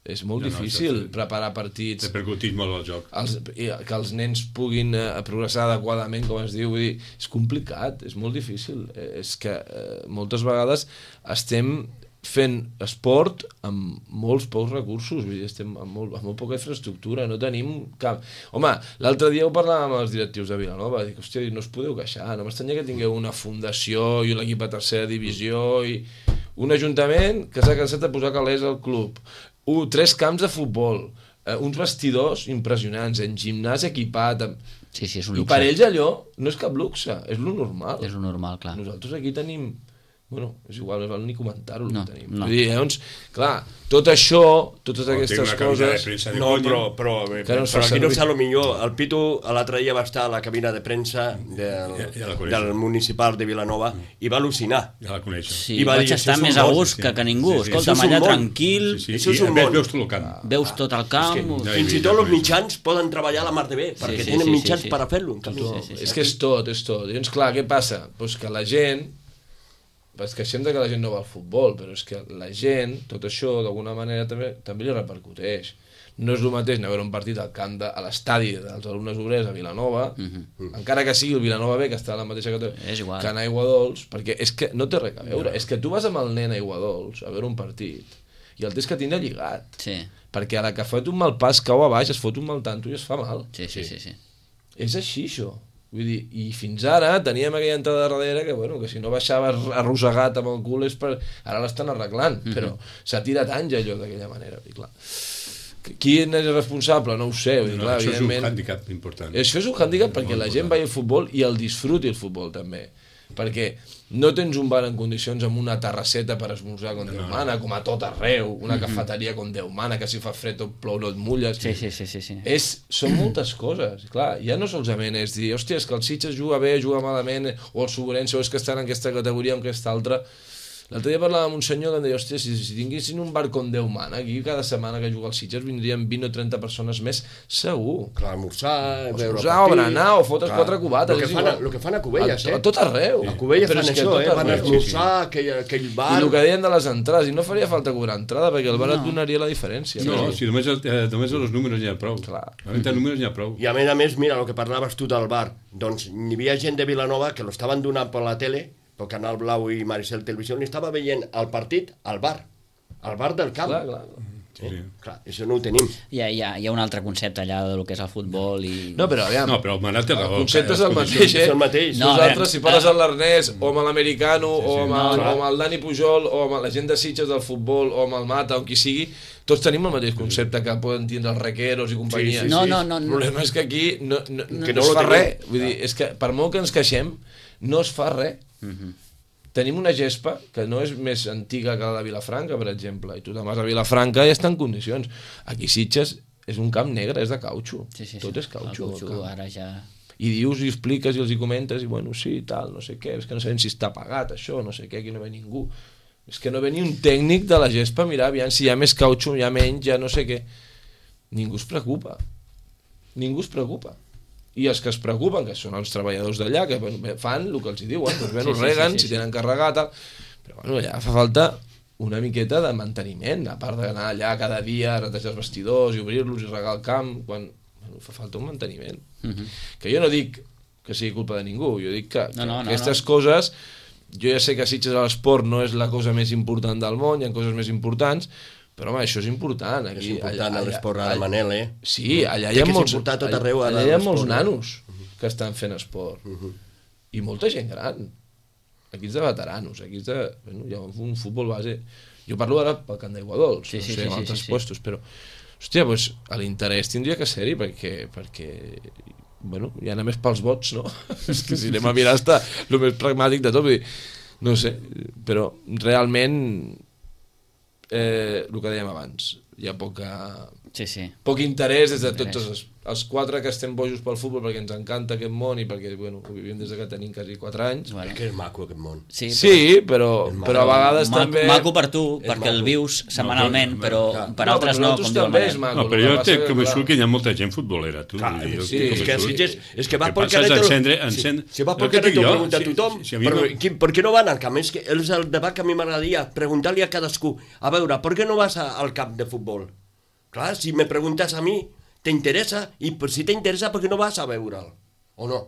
És molt no, difícil no, preparar partits... Repercutís molt el joc. Els, que els nens puguin eh, progressar adequadament, com es diu, vull dir, és complicat, és molt difícil. Eh, és que eh, moltes vegades estem fent esport amb molts pocs recursos, vull dir, estem amb molt, amb molt poca infraestructura, no tenim cap... Home, l'altre dia ho parlàvem amb els directius de Vilanova, dic, hòstia, no us podeu queixar, no m'estranya que tingueu una fundació i l'equip a tercera divisió i un ajuntament que s'ha cansat de posar calés al club, un, tres camps de futbol, eh, uns vestidors impressionants, en gimnàs equipat, amb... Sí, sí, és un i luxe. per ells allò no és cap luxe, és lo normal. És lo normal, clar. Nosaltres aquí tenim... Bueno, és igual, no val ni comentar-ho, el No, que tenim. no. Vull dir, llavors, clar, tot això, totes O aquestes tinc una cabina de coses... premsa de No, conya. però, però, Que no es fa però aquí no servir. sé, lo millor, el Pitu l'altre dia va estar a la cabina de premsa del, Ja- ja la coneixo. del municipal de Vilanova i va al·lucinar. Ja la coneixo. Sí, I va vaig dir, estar això és més un a món, gust sí, que, sí. que ningú. Sí, sí. Escolta, Això és un allà món. tranquil, Sí, sí, Això és i un a més món. veus tot el camp. veus tot el camp... Ja he Fins i vist, tot ja els he vist. mitjans poden treballar la mar de bé, perquè sí, tenen sí, mitjans sí, sí. per a fer-lo. en canvi. Sí, sí, sí. És que és tot, és tot. Llavors, clar, què passa? Pues que la gent... Es queixem de que la gent no va al futbol, però és que la gent, tot això, d'alguna manera, també també li repercuteix. No és el mateix anar a veure un partit al camp de, a l'estadi dels alumnes obrers a Vilanova, Mhm. encara que sigui el Vilanova B, que està a la mateixa categoria, És igual. que anar a Aiguadols, perquè és que no té res a veure. És que tu vas amb el nen a Aiguadols a veure un partit i el tens que tindre lligat. Sí, Perquè a la que fot un mal pas cau a baix, es fot un mal tanto i es fa mal. sí, sí, sí, sí. És així, això. Vull dir, i fins ara teníem aquella entrada darrere que, bueno, que si no baixaves arrossegat amb el cul és per... Ara l'estan arreglant, Mhm. però s'ha tirat anys allò d'aquella manera. I clar, qui és el responsable? No ho sé. Vull dir, No, clar, això és un evidentment... hàndicap important. Això és un hàndicap perquè Molt la gent important. vagi al futbol i el disfruti el futbol també. Perquè no tens un bar en condicions amb una terrasseta per esmorzar com Déu mana, com a tot arreu, una cafeteria com Déu mana, que si fa fred o plou no et mulles. Sí, sí, sí, sí, sí. És, són moltes coses, clar, ja no solament és dir, hòstia, és que el Sitges juga bé, juga malament, o el Sobrense, o és que estan en aquesta categoria o en aquesta altra. L'altre dia parlava amb un senyor que em deia, hòstia, si, si tinguessin un bar com Déu mana, aquí cada setmana que juga el Sitges vindrien vint o trenta persones més, segur. Clar, almorzar, veure Esmorzar, o berenar, o fotre quatre cubates, El que, és fan, igual. a- lo que fan a Cubelles, A, eh? a tot arreu. A Cubelles Però fan és que això, tot eh? Van a arreu. esmorzar, aquell, aquell bar... I el que deien de les entrades, i no faria falta cobrar entrada, perquè el bar et donaria la diferència. No, però- si només, eh, només els números n'hi ha prou. Clar. Només els números n'hi ha prou. I a més a més, mira, el que parlaves tu del bar, doncs hi havia gent de Vilanova que lo estaven donant per la tele, pel Canal Blau i Maricel Televisió, i estava veient el partit al bar, al bar del camp. Clar, clar. Eh? Clar, això no ho tenim. Hi ha, hi, ha, hi ha un altre concepte allà del que és el futbol i... No, però aviam, No, però el Manat té el raó. concepte és el Les mateix, eh? És el mateix. No, a Nosaltres, veure, si parles amb l'Ernest, o amb l'americano, Sí, sí, o, amb no, el, clar. o amb el Dani Pujol, o amb la gent de Sitges del futbol, o amb el Mata, o qui sigui, tots tenim el mateix concepte que poden tindre els requeros i companyia. Sí, sí, No, sí. no, no, El no. problema és que aquí no, no, no, Que no no es lo fa tenim. res. Vull dir, és que per molt que ens queixem, no es fa res. Tenim una gespa que no és més antiga que la de Vilafranca, per exemple, i tu te'n vas a Vilafranca i està en condicions. Aquí Sitges és un camp negre, és de cautxo. Sí, sí, sí. Tot és cautxo. El cautxo, el camp. ara ja... I dius i expliques i els hi comentes i bueno, sí, tal, no sé què, és que no sabem si està pagat això, no sé què, aquí no ve ningú. És que no ve ni un tècnic de la gespa, mirar, aviam si hi ha més cautxo, hi ha menys, ja no sé què. Ningú es preocupa. Ningú es preocupa. I els que es preocupen, que són els treballadors d'allà, que bueno, fan el que els hi diuen, doncs bé, Sí, ho sí, reguen, sí, sí, si sí. tenen carregat, tal. Però bueno, allà fa falta una miqueta de manteniment, a part d'anar allà cada dia a retejar els vestidors i obrir-los i regar el camp, quan bueno, fa falta un manteniment. Mhm. Que jo no dic que sigui culpa de ningú, jo dic que, que No, no, no, aquestes no. coses, jo ja sé que Sitges a l'esport no és la cosa més important del món, hi ha coses més importants, però home, això és important. Aquí, És important a l'esport ara, allà- Manel, eh? Sí, allà hi Té ha que molts, s'importar a tot allà- arreu, ara, allà hi ha l'esport, molts eh? nanos que estan fent esport. I molta gent gran. Aquí és de veteranos, aquí és de... Bueno, hi ha un futbol base. Jo parlo ara pel Camp d'Aiguadols, Sí, sí, no sé, sí, en sí, altres sí, sí. puestos, però... Hòstia, doncs l'interès tindria que ser-hi perquè, perquè bueno, ja anem més pels vots, no? És que si anem a mirar està el més pragmàtic de tot, vull dir, no sé, però realment eh, el que dèiem abans, hi ha poca, Sí, sí. poc interès des de Interès. tots els, els quatre que estem bojos pel futbol perquè ens encanta aquest món i perquè bueno, ho vivim des de que tenim quasi quatre anys. Bueno, És que és maco aquest món. sí, Sí, però, però a vegades maco, també... maco per tu, És perquè el maco. vius setmanalment, No, però clar. per No, altres però no, nosaltres com diu el també és Manel. maco. No, però el jo que passa estic que, convençut clar, que hi ha molta gent futbolera, tu. Clar, Vull dir, jo sí, estic És que a convençut. Sitges, és que va Que pel passes Caneto... encendre- encendre- Si, si va el pel que dic Caneto jo, pregunta a si- tothom, si a mi però, no- qui, per què no van al camp? És que és el debat que a mi m'agradaria, preguntar-li a cadascú, a veure, per què no vas a, al camp de futbol? Clar, si me preguntes a mi, t'interessa, i per si t'interessa, per què no vas a veure'l? O no?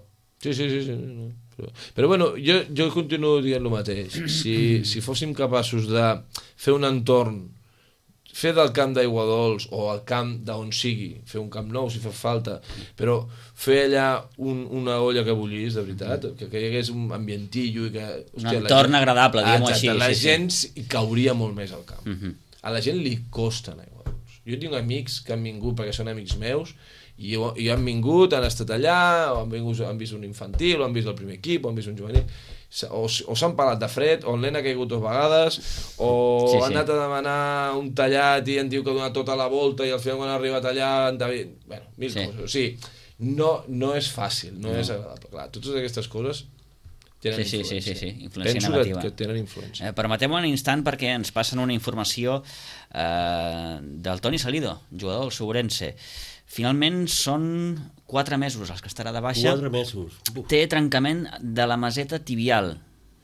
Sí, sí, sí. sí no. Però, però bueno, jo, jo continuo dient el mateix. Si, si fóssim capaços de fer un entorn, fer del camp d'Aiguadols o el camp d'on sigui, fer un camp nou si fa falta, però fer allà un, una olla que bullís, de veritat, que, que hi hagués un ambientillo i que... Un entorn agradable, diguem-ho Exacte, així, la sí, sí. gent hi cauria molt més al camp. Mhm. A la gent li costa anar a Aiguadols. jo tinc amics que han vingut perquè són amics meus i, i han vingut, han estat allà, o han, vingut, han vist un infantil, o han vist el primer equip, o han vist un juvenil, o, o s'han pelat de fred, o el nen ha caigut dues vegades, o sí, sí. han anat a demanar un tallat i han dit que ha donat tota la volta i al final quan ha arribat allà han de... Bueno, mil sí. coses. O sigui, no, no és fàcil, no, no és agradable. Clar, totes aquestes coses tenen sí, influència. Sí, sí, sí, sí. Influència Penso negativa. Que, que tenen influència. Eh, Permeteu-me un instant perquè ens passen una informació eh, del Toni Salido, jugador del Sourense. Finalment són quatre mesos els que estarà de baixa. Quatre mesos. Uf. Té trencament de la maseta tibial.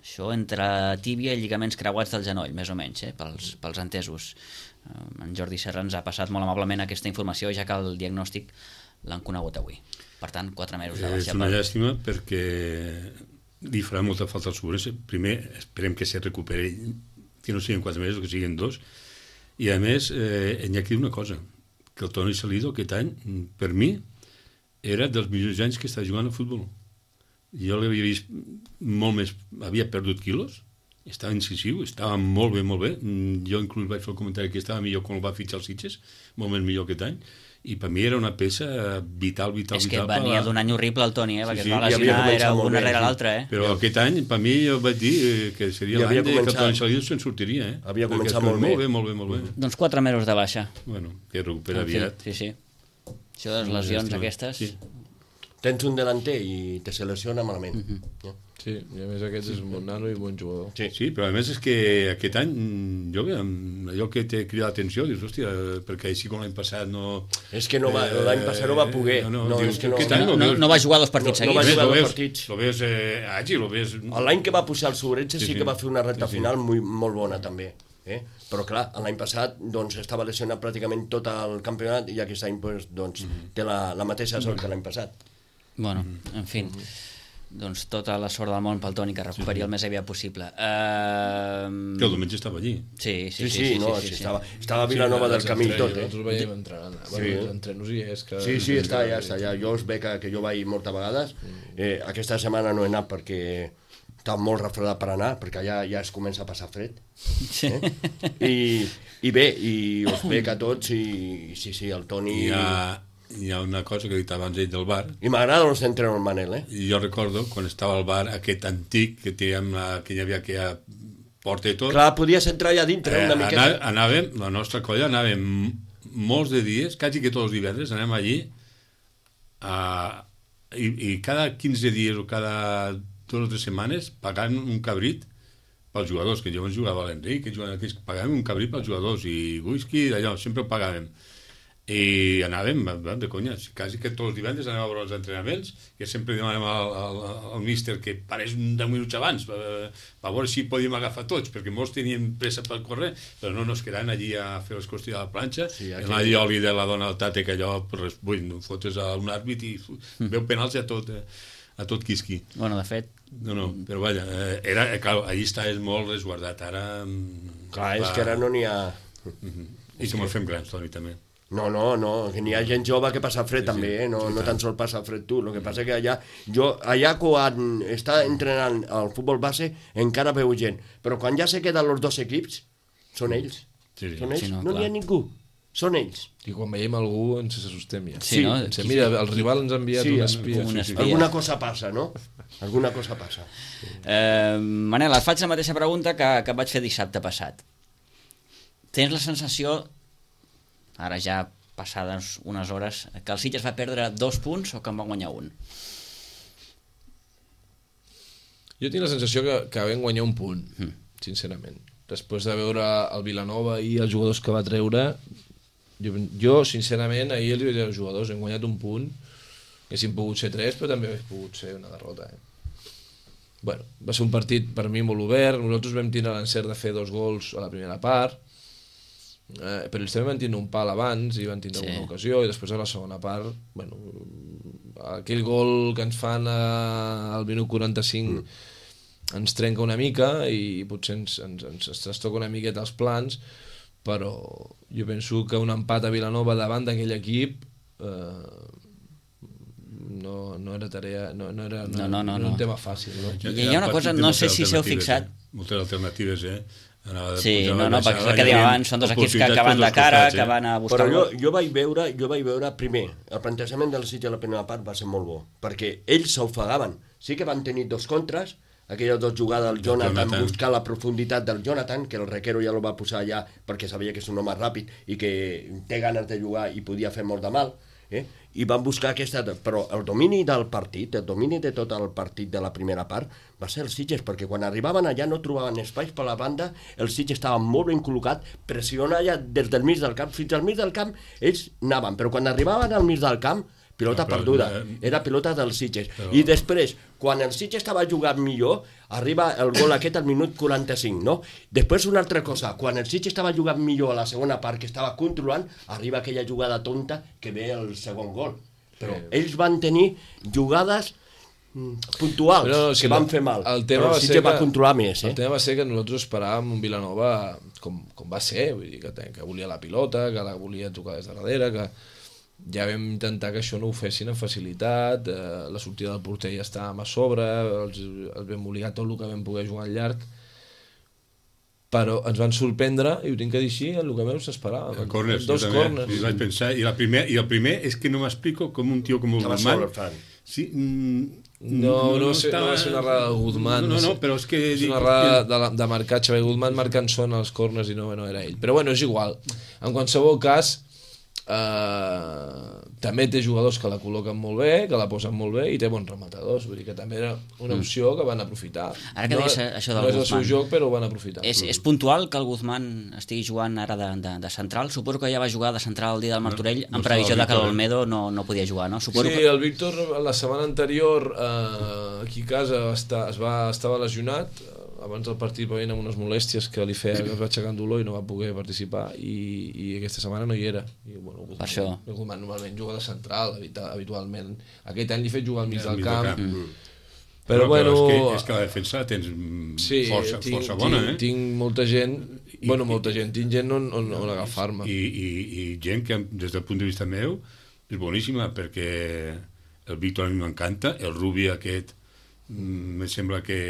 Això entre tíbia i lligaments creuats del genoll, més o menys, eh, pels, pels entesos. En Jordi Serra ens ha passat molt amablement aquesta informació, ja que el diagnòstic l'han conegut avui. Per tant, quatre mesos de baixa. És una llàstima perquè li farà molta falta al Sourense. Primer, esperem que se recuperi, que no siguin quatre mesos, que siguin dos. I a més, eh, hi ha aquí una cosa, que el Toni Salido aquest any, per mi, era dels millors anys que estava jugant a futbol. Jo l'havia vist molt més... Havia perdut quilos, estava incisiu, estava molt bé, molt bé. Jo inclús vaig fer el comentari que estava millor quan el va fitxar els Sitges, molt més millor aquest any, i per mi era una peça vital, vital, és que vital. venia la... d'un any horrible el Toni, eh? Perquè Sí, sí, es va ja havia lesionar, era una bé, rere sí. l'altra, eh? Però aquest any, per mi, jo vaig dir que seria Ja l'any havia de que el començat- Toni Salido se'n sortiria, eh? Havia Perquè començat és molt bé. Molt bé, molt bé, molt bé. Doncs quatre mesos de baixa. Bueno, que recupera En fi, aviat. sí, sí. Això de les lesions llàstima. aquestes... Sí. Tens un delanter i te se lesiona malament. Mhm. Ja. Sí, i a més aquest és un bon nano i bon jugador. Sí. Sí, però a més és que aquest any, jo bé, allò que t'he cridat l'atenció, dius, hòstia, perquè així com l'any passat no... És que no va, l'any passat no va poder. No, no, no, dius, és que no, aquest any No, no, no va jugar dos partits No, no va seguits. jugar lo dos veus, partits. lo ves eh, àgil, lo ves... L'any que va pujar el Sourense sí, Sí, sí sí. que va fer una recta Sí, sí. final muy, molt bona també. Eh? Però clar, l'any passat doncs, estava lesionat pràcticament tot el campionat i aquest any doncs, doncs, té la, la mateixa sort que l'any passat. Bueno, en fi, doncs tota la sort del món pel Toni, que recuperi el més aviat possible. Uh... Que el diumenge estava allí. Sí, Sí, sí, sí, sí, no, sí, sí, estava, estava a Vilanova del Camí i tot, eh? Nosaltres veiem entrenant. Sí. Bueno, els entrenos hi és que... Sí, sí, està allà, està allà. Jo us veig que, que jo vaig moltes vegades. Eh, aquesta setmana no he anat perquè estava molt refredat per anar, perquè allà ja es comença a passar fred. Sí. Eh? I, I bé, i us veig a tots i sí, sí, el Toni... Hi ha, hi ha una cosa que he dit abans ell del bar. I m'agrada els entrenos el Manel, eh? I jo recordo quan estava al bar aquest antic que teníem, la, que hi havia aquella porta i tot. Clar, podies entrar allà dintre eh, una miqueta. Anà, anàvem, la nostra colla anàvem molts de dies, quasi que tots els divendres, anem allí a, i, i cada quinze dies o cada dues o tres setmanes pagant un cabrit pels jugadors, que jo ens jugava a l'Enric, que jugava, que pagàvem un cabrit pels jugadors i whisky, d'allò, sempre ho pagàvem. I anàvem, de conya, quasi que tots els divendres anàvem a veure els entrenaments, que sempre demanàvem al, al, al míster que parés deu minuts abans, per, per veure si podíem agafar tots, perquè molts tenien pressa per córrer, però no nos quedaren allí a fer les qüestions de la planxa, sí, aquí... el oli de la dona del tate, que allò, pues, vull, fotes a un àrbit i mm. veu penals a tot, a tot quisqui. Bueno, de fet... No, no, però vaja, era, clar, allí estaves molt resguardat, ara... Clar, és que ara no n'hi ha... Uh-huh. I que ens fem grans, Toni, també. No, no, no, que n'hi ha gent jove que passa fred sí, també, eh? no, sí, no tan sols passa fred tu, el que passa que allà, jo, allà quan està entrenant el futbol base encara veu gent, però quan ja se queden els dos equips, són ells, sí, sí. són ells, Sí, no, no n'hi ha ningú, són ells. I quan veiem algú ens assustem ja. Sí, no? Ens, mira, el rival ens ha enviat Sí, un espia. un Sí, sí. espia. Alguna cosa passa, no? Alguna cosa passa. Eh, Manel, et faig la mateixa pregunta que, que et vaig fer dissabte passat. Tens la sensació, ara ja passades unes hores, que el Sitges va perdre dos punts o que en va guanyar un? Jo tinc la sensació que, que vam guanyar un punt, mm. sincerament. Després de veure el Vilanova i els jugadors que va treure, jo, jo sincerament, ahir els vaig dir als jugadors, hem guanyat un punt, haguéssim pogut ser tres, però també hauria pogut ser una derrota. Eh? Bueno, va ser un partit per mi molt obert, nosaltres vam tindre l'encert de fer dos gols a la primera part, eh, però ells també van tindre un pal abans i van tindre sí. una ocasió, i després a la segona part, bueno, aquell gol que ens fan a, al minut quaranta-cinc mm. ens trenca una mica i potser ens, ens, ens, ens trastoca una miqueta els plans, però jo penso que un empat a Vilanova davant d'aquell equip eh, no, no era tarea, no, no era, no, no, no, no, no era un no. tema fàcil. No? I hi ha una cosa, no sé si s'heu fixat. Eh? Moltes alternatives, eh? Sí, no, no, perquè és el que dèiem abans, són dos equips que, que van de cara, costats, eh? que van a buscar... Però jo, jo vaig veure, jo vaig veure, primer, el plantejament del Sitges a la primera part va ser molt bo, perquè ells s'ofegaven. Sí que van tenir dos contres, aquelles dues jugades del Jonathan, Jonathan, buscar la profunditat del Jonathan, que el Requero ja lo va posar allà perquè sabia que és un home ràpid i que té ganes de jugar i podia fer molt de mal, eh? I van buscar aquesta... Però el domini del partit, el domini de tot el partit de la primera part, va ser els Sitges, perquè quan arribaven allà no trobaven espais per la banda, el Sitges estava molt ben col·locat, pressionant allà des del mig del camp, fins al mig del camp, ells anaven, però quan arribaven al mig del camp, pilota no, però, perduda, eh, era pilota dels Sitges. Però... I després, quan el Sitges estava jugant millor, arriba el gol aquest al minut quaranta-cinc, no? Després una altra cosa, quan el Sitges estava jugant millor a la segona part, que estava controlant, arriba aquella jugada tonta que ve el segon gol. Però sí. ells van tenir jugades puntuals, no, no, sí, que van fer mal, el tema però el Sitges va controlar més. Eh? El tema va ser que nosaltres esperàvem un Vilanova com, com va ser, vull dir, que, que volia la pilota, que la volia tocar des de darrere, que ja vam intentar que això no ho fessin amb facilitat, eh, la sortida del porter ja estàvem a sobre, els, els vam obligar tot el que vam poder jugar al llarg, però ens van sorprendre, i ho tinc que dir així, el que menys s'esperava. Corners, dos corners. I vaig pensar, i, la primer, i el primer és que no m'explico com un tio com el Guzmán... Sí, mm, no, no, no, no, estava... no va ser una errada de Guzmán. No, no, no, però és que... És una errada de, de marcatge, perquè Guzmán marcant són els corners i no, no era ell. Però bueno, és igual. En qualsevol cas, Uh, també té jugadors que la col·loquen molt bé, que la posen molt bé i té bons rematadors, vull dir que també era una opció que van aprofitar. Ara que no, deies això del no és el Guzmán, seu joc, però ho van aprofitar. És, és puntual que el Guzmán estigui jugant ara de, de, de central? Suposo que ja va jugar de central el dia del Martorell no, no en previsió de que l'Olmedo no, no podia jugar, no? Suposo sí, que... el Víctor la setmana anterior uh, aquí a casa va estar, es va, estava lesionat. Abans del partit va venir amb unes molèsties que li feia, que es va aixecar en dolor i no va poder participar i, i aquesta setmana no hi era. I, bueno, Guzmán, per això. Guzmán normalment juga de central, habitualment. Aquest any li he fet jugar al mig del camp. camp. Mm. Però, però bueno... Però és, que, és que la defensa tens sí, força, tinc, força bona, tinc, eh? Tinc molta gent, I, bueno, molta gent, tinc gent on, on, on agafar-me. I, i, I gent que, des del punt de vista meu, és boníssima, perquè el Víctor a mi m'encanta, el Rubi aquest, em sembla que...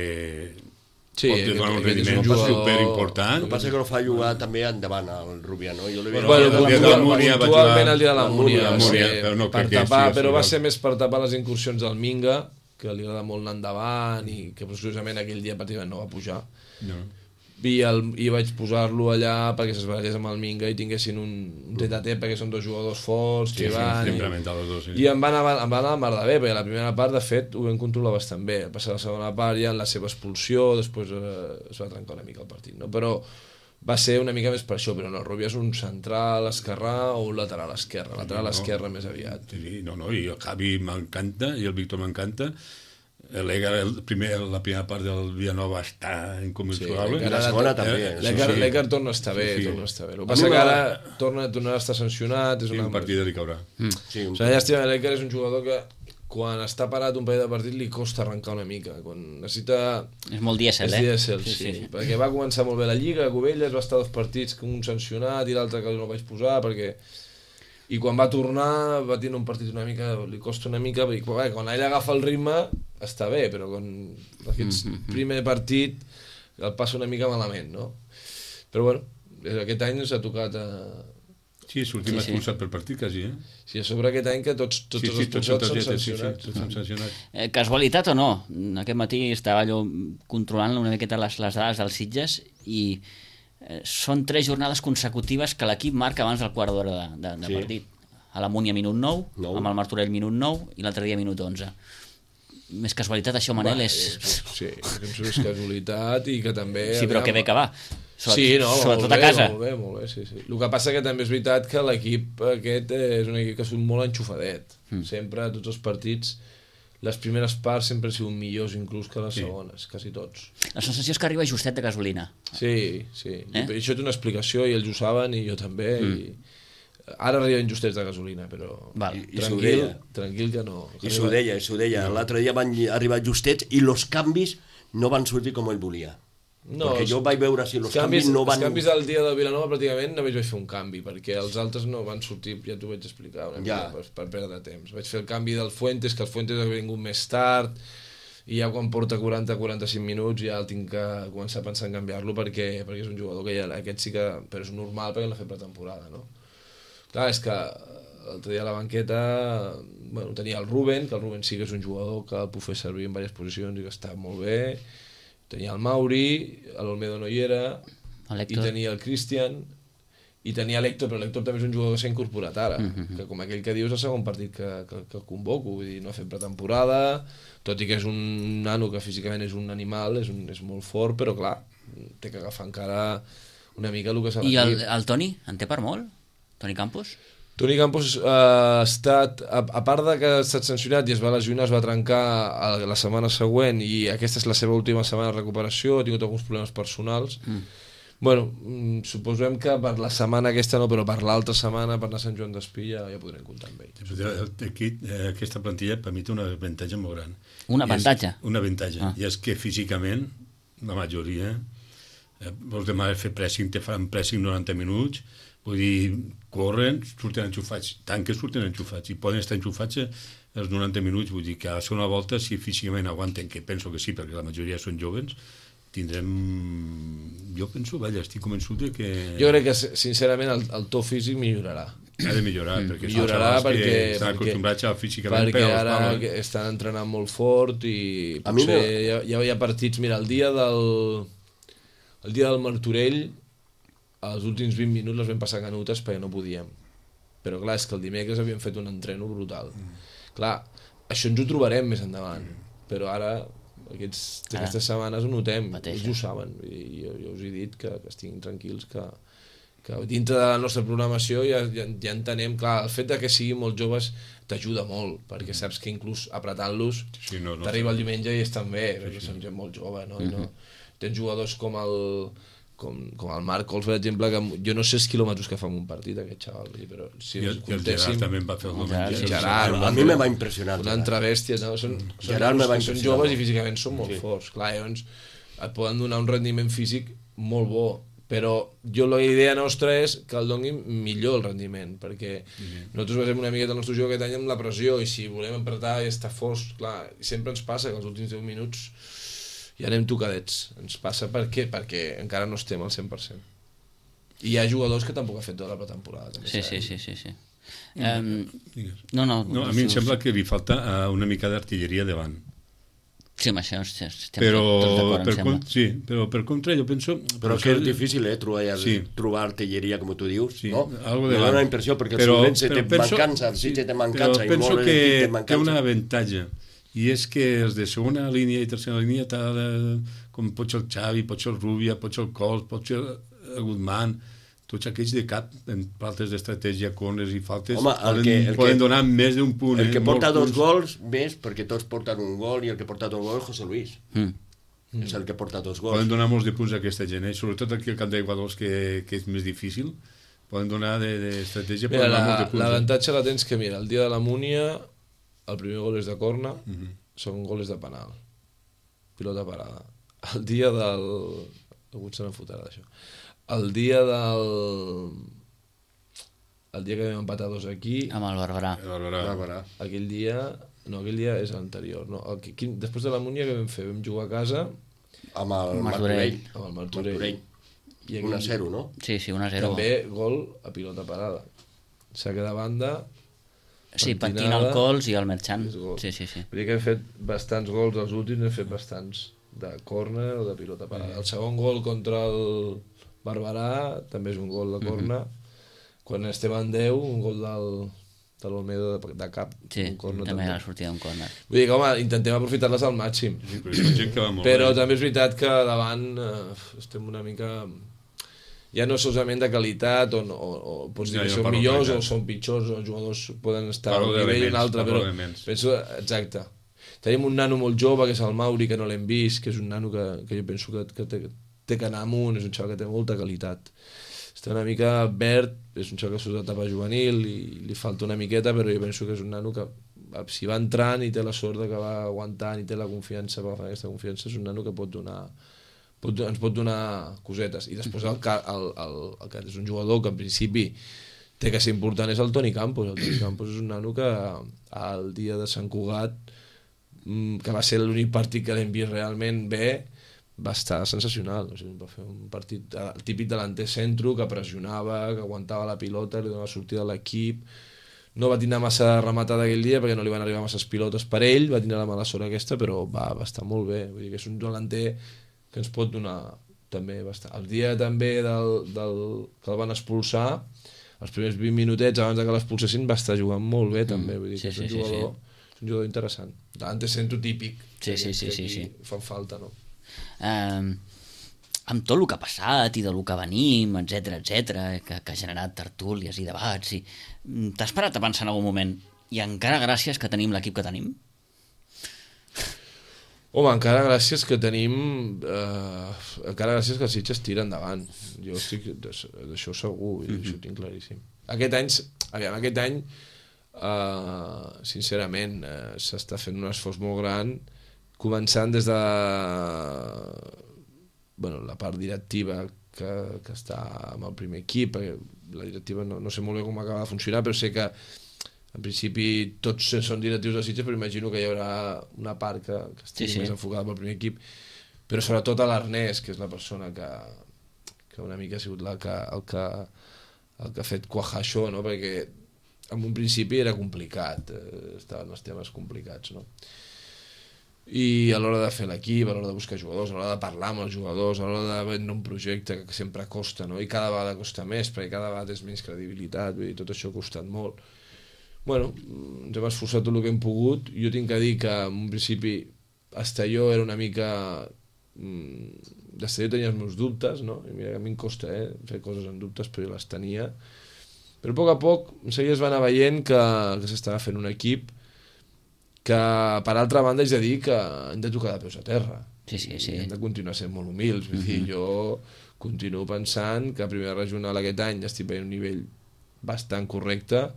Sí, pot donar un rendiment superimportant. El que passa que no fa jugar també endavant al Rubià, no? Jo bueno, bueno, el dia de la Múnia va jugar... el dia de la Múnia, però no per tapar, però va ser més per tapar les incursions del Minga, que li agrada molt anar endavant i que precisament aquell dia pràcticament no va pujar. No. I, el, i vaig posar-lo allà perquè s'esbarallés amb el Minga i tinguessin un, un tet-a-tet perquè són dos jugadors forts que sí, van sí, i, dos, sí. i em van anar, em van anar a mar de bé perquè la primera part de fet ho vam controlar bastant bé, passar la segona part ja en la seva expulsió, després eh, es va trencar una mica el partit, no? Però va ser una mica més per això, però no, Rubia és un central esquerrà o un lateral esquerre, lateral no, esquerre més aviat. Sí, no, no, i el Javi m'encanta i el Víctor m'encanta. L'Egar, el primer, la primera part del Vilanova està incommensurable. Sí, la segona eh? també. L'Egar sí, sí. torna a estar bé, sí, sí. torna a estar bé. El que passa que ara torna, torna a estar sancionat. És sí, una... un partit li caurà. Mm. Sí, un... o sigui, llàstima, l'Egar és un jugador que quan està parat un parell de partit li costa arrencar una mica. Quan necessita... És molt dièsel, eh? És dièsel, sí, sí, sí. Perquè va començar molt bé la Lliga, a Cubelles va estar dos partits, un sancionat i l'altre que no vaig posar, perquè... I quan va tornar va tenir un partit una mica, li costa una mica, perquè bé, quan ell agafa el ritme està bé, però quan aquest mm-hmm. primer partit el passa una mica malament, no? Però bueno, aquest any s'ha tocat a... Sí, és l'últim sí, expulsat sí. per partit, quasi, eh? Sí, a sobre aquest any que tots, tots sí, sí, els expulsats són sancionats. Sí, sí, tots sancionats. Eh, casualitat o no? Aquest matí estava allò controlant una miqueta les, les dades dels Sitges i eh, són tres jornades consecutives que l'equip marca abans del quart d'hora de, de, de sí. partit. A la Múnia minut nou, nou, amb el Martorell minut nou i l'altre dia minut onze. Més casualitat això, Manel, va, és... Sí, penso que és casualitat i que també... Sí, però que bé que va. Sobretot, sí, no, sobretot bé, a casa. Molt bé, molt bé, sí, sí. El que passa que també és veritat que l'equip aquest és un equip que surt molt enxufadet. Mm. Sempre, a tots els partits, les primeres parts sempre han sigut millors inclús que les sí. segones, quasi tots. La sensació és que arriba justet de gasolina. Sí, sí. Eh? I això té una explicació i ells ho saben i jo també. Mm. I... Ara arriben justets de gasolina, però Val. I, tranquil, tranquil que no. I s'ho deia, s'ho deia. No. L'altre dia van arribar justets i els canvis no van sortir com ell volia. No, perquè jo vaig veure si els canvis, canvis no van... Els canvis del dia del Vilanova pràcticament només vaig fer un canvi, perquè els altres no van sortir, ja t'ho vaig explicar una mica, ja. per, per perdre temps. Vaig fer el canvi del Fuentes, que el Fuentes ha vingut més tard, i ja quan porta quaranta a quaranta-cinc minuts ja el tinc que començar a pensar en canviar-lo perquè, perquè és un jugador que ja, aquest sí que... però és normal perquè l'ha fet pretemporada, no? Clar, és que l'altre dia a la banqueta bueno, tenia el Ruben, que el Ruben sí que és un jugador que el puc fer servir en diverses posicions i que està molt bé, tenia el Mauri, l'Olmedo no hi era, i tenia el Christian, i tenia l'Héctor, però l'Héctor també és un jugador que s'ha incorporat ara, mm-hmm. que com aquell que dius és el segon partit que, que, que convoco, vull dir, no ha fet pretemporada, tot i que és un nano que físicament és un animal, és, un, és molt fort, però clar, té que agafar encara una mica el que s'ha I el, el Toni, en té per molt? Toni Campos? Toni Campos uh, ha estat, a, a part de que ha estat sancionat i es va lesionar, es va trencar a, la setmana següent i aquesta és la seva última setmana de recuperació, ha tingut alguns problemes personals, mm. Bueno, suposem que per la setmana aquesta no, però per l'altra setmana, per anar a Sant Joan d'Espí, ja, ja podrem comptar amb ell. Aquí, aquesta plantilla per mi té un avantatge molt gran. Un avantatge? És, un avantatge, ah. I és que físicament, la majoria, eh, vols demanar fer pressing, te fan pressing noranta minuts, vull dir, corren, surten enxufats, tant que surten enxufats, i poden estar enxufats els noranta minuts, vull dir que a la segona volta, si físicament aguanten, que penso que sí, perquè la majoria són joves, tindrem... Jo penso, vaja, estic convençut de que... Jo crec que, sincerament, el, el to físic millorarà. Ha de millorar, mm. perquè millorarà són perquè, que estan acostumbrats a físicament perquè ara pals. Estan entrenant molt fort i potser hi ha, hi ha partits... Mira, el dia del... El dia del Martorell, els últims vint minuts les vam passar canutes perquè no podíem. Però clar, és que el dimecres havíem fet un entreno brutal. Mm. Clar, això ens ho trobarem més endavant, mm. però ara... Aquests, aquestes setmanes ho notem, Mateixa. ells ho saben, i jo, jo us he dit que, que estiguin tranquils, que, que dintre de la nostra programació ja, ja, ja entenem, clar, el fet de que siguin molt joves t'ajuda molt, perquè saps que inclús apretant-los sí, no, no, t'arriba sí. el diumenge i estan bé, sí, perquè sí. són gent molt jove, no? Mm-hmm. no? Tens jugadors com el, com, com el Marc Cols, per exemple, que jo no sé els quilòmetres que fa en un partit, aquest xaval, però si I el, el Gerard també em va fer el Gerard, diumenge. Gerard, a mi me va impressionar. Una altra bèstia, no? Són, són, Gerard me va són impressionar. joves i físicament són molt Sí. forts. Clar, llavors et poden donar un rendiment físic molt bo, però jo la idea nostra és que el donin millor el rendiment, perquè mm-hmm. nosaltres basem una miqueta el nostre joc aquest any amb la pressió, i si volem apretar i estar forts, clar, sempre ens passa que els últims deu minuts ja anem tocadets. Ens passa per què? Perquè encara no estem al cent per cent. I hi ha jugadors que tampoc ha fet tota la pretemporada. També, Sí, sí, sí, sí, sí. Um, Digues. no, no, No, a mi em sembla que li falta uh, una mica d'artilleria davant. Sí, amb això estem Però, tots d'acord, em per sembla. con- sí, però per contra jo penso... Però que és difícil, eh, trobar, Sí. trobar artilleria, com tu dius, Sí, no? algo Me davant. dona la impressió, perquè Però- el Solent té penso- mancança, el Sitges té mancança, però i penso molt que l'equip té té mancança. un avantatge, i és que els de segona línia i tercera línia, tal, eh, com pot ser el Xavi, pot ser el Rubia, pot ser el Cols, pot ser el Guzmán, tots aquells de cap, en faltes d'estratègia, corners i faltes, Home, el poden, que- el poden que- donar més d'un punt. El que eh, porta molts dos punts. gols, més, perquè tots porten un gol, i el que porta dos gols és José Luis. Mm. És el que porta dos Poden gols. donar molts de punts a aquesta gent, eh? Sobretot aquí al camp d'Aiguadols, que, que és més difícil, poden donar d'estratègia, Mira, poden donar la- molts de punts. l'avantatge la tens que, mira, el dia de la Múnia, el primer gol és de corna, Eh? Mhm. segon gol és de penal. Pilota parada. El dia del... Algú se n'enfotarà d'això. El dia del... El dia que vam empatar dos aquí, Amb el Barberà. A veure, A veure. aquell dia... No, aquell dia és l'anterior. No, el, que- quin, després de la Múnia que vam fer? Vam jugar a casa Amb el Martorell. Martorell. amb el Martorell. Martorell. I aquell un a zero, no? Sí, sí, un a zero. També gol a pilota parada. Saque de banda. Sí, pentinada. patina el Cols i el Merchant. És gol. Sí, sí, sí. Vull dir que hem fet bastants gols, els últims hem fet bastants de córner o de pilota parada. El segon gol contra el Barberà també és un gol de córner. Quan estem en deu, un gol del, de l'Olmedo de, de cap. Sí, un córner també la sortida d'un córner. Vull dir que, home, intentem aprofitar-les al màxim. sí, però és gent que va molt Però bé. també és veritat que davant eh, estem una mica... Ja no solament de qualitat, o, o, o pots dir Ja, que jo són parlo millors de o qualitat. són pitjors, o els jugadors poden estar a Parlo un nivell i un d'elements, altre, parlo però d'elements. penso, exacte. Tenim un nano molt jove, que és el Mauri, que no l'hem vist, que és un nano que, que jo penso que, que té, té que anar amunt, és un xaval que té molta qualitat. Està una mica verd, és un xaval que surt d'etapa juvenil i li falta una miqueta, però jo penso que és un nano que si va entrant i té la sort de que va aguantant i té la confiança per agafar aquesta confiança, és un nano que pot donar pot, ens pot donar cosetes. I després el, ca- el, el, el que és un jugador que en principi té que ser important és el Toni Campos. El Toni Campos és un nano que al dia de Sant Cugat que va ser l'únic partit que l'hem vist realment bé, va estar sensacional. O sigui, va fer un partit el típic delanter centro que pressionava, que aguantava la pilota, li donava sortida a l'equip. No va tindre massa rematada aquell dia perquè no li van arribar masses pilotes per ell, va tindre la mala sort aquesta, però va, va estar molt bé. Vull dir que és un delanter que ens pot donar també bastant. El dia també del, del, que el van expulsar, els primers vint minutets abans que l'expulsessin va estar jugant molt bé també. Vull dir sí, que és un sí, jugador, sí, sí. És un jugador interessant. Delanter centro típic. Sí, sí, sí, sí, sí. Fan falta, no? Eh, amb tot el que ha passat i del que venim, etc etc, que, que ha generat tertúlies i debats, i t'has parat a pensar en algun moment i encara gràcies que tenim l'equip que tenim? Home, encara gràcies que tenim eh, encara gràcies que els Sitges tira endavant. Jo estic d'això segur, mm -hmm. això ho tinc claríssim. Aquest any, aviam, aquest any eh, sincerament eh, s'està fent un esforç molt gran, començant des de bueno, la part directiva que, que està amb el primer equip, perquè la directiva no, no sé molt bé com acaba de funcionar, però sé que en principi tots són directius de Sitges, però imagino que hi haurà una part que, que estigui sí, sí. més enfocada pel primer equip, però sobretot a l'Ernest, que és la persona que, que una mica ha sigut la que, el, que, el que ha fet quajar això, no? Perquè en un principi era complicat, eh, estaven els temes complicats, no? I a l'hora de fer l'equip, a l'hora de buscar jugadors, a l'hora de parlar amb els jugadors, a l'hora de vendre un projecte que sempre costa, no? I cada vegada costa més, perquè cada vegada és menys credibilitat, vull dir, tot això ha costat molt. Bueno, ens hem esforçat tot el que hem pogut. Jo tinc que dir que en un principi Estelló era una mica... D'Estelló tenia els meus dubtes, no? I mira que a mi em costa eh, fer coses amb dubtes, però jo les tenia. Però a poc a poc es va anar veient que, que s'estava fent un equip que, per altra banda, haig de dir que hem de tocar de peus a terra. Sí, sí, sí. I hem de continuar sent molt humils. Vull dir, jo continuo pensant que a primera regional aquest any estic veient un nivell bastant correcte,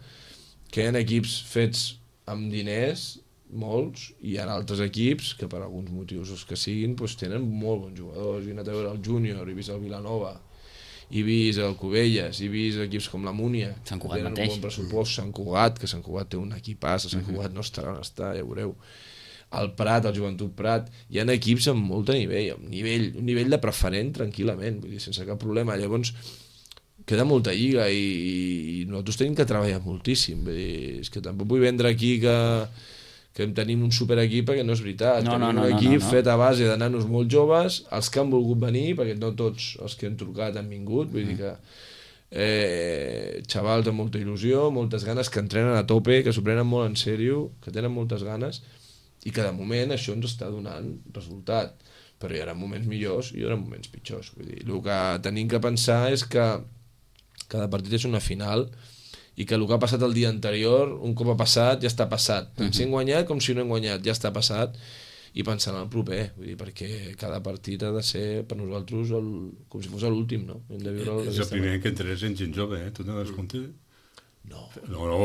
que hi ha equips fets amb diners, molts, i hi ha altres equips que per alguns motius els que siguin doncs tenen molt bons jugadors. He anat a veure el Júnior, he vist el Vilanova, he vist el Cubelles, he vist equips com la Múnia, Sant Cugat tenen mateix. un bon pressupost, Sant Cugat, que Sant Cugat té un equipàs, Sant Cugat no estarà on està, ja veureu. El Prat, el Joventut Prat, hi ha equips amb molt de nivell, amb nivell, un nivell de preferent tranquil·lament, vull dir, sense cap problema. Llavors, queda molta lliga i, i nosaltres tenim que treballar moltíssim. Vull dir, és que tampoc vull vendre aquí que, que tenim un superequip, perquè no és veritat. No, tenim no, no, un equip no, no. fet a base de nanos molt joves, els que han volgut venir, perquè no tots els que han trucat han vingut, vull dir que eh, xavals amb molta il·lusió, moltes ganes, que entrenen a tope, que s'ho prenen molt en sèrio, que tenen moltes ganes, i que de moment això ens està donant resultat. Però hi haurà moments millors i hi haurà moments pitjors. Vull dir, el que tenim que pensar és que cada partit és una final i que el que ha passat el dia anterior, un cop ha passat, ja està passat. Tant si hem guanyat com si no hem guanyat, ja està passat, i pensant en el proper, vull dir, perquè cada partit ha de ser per nosaltres el, com si fos l'últim, no? Hem de viure és el primer que entres en gent jove, eh? Tu no das compte? No. No, no,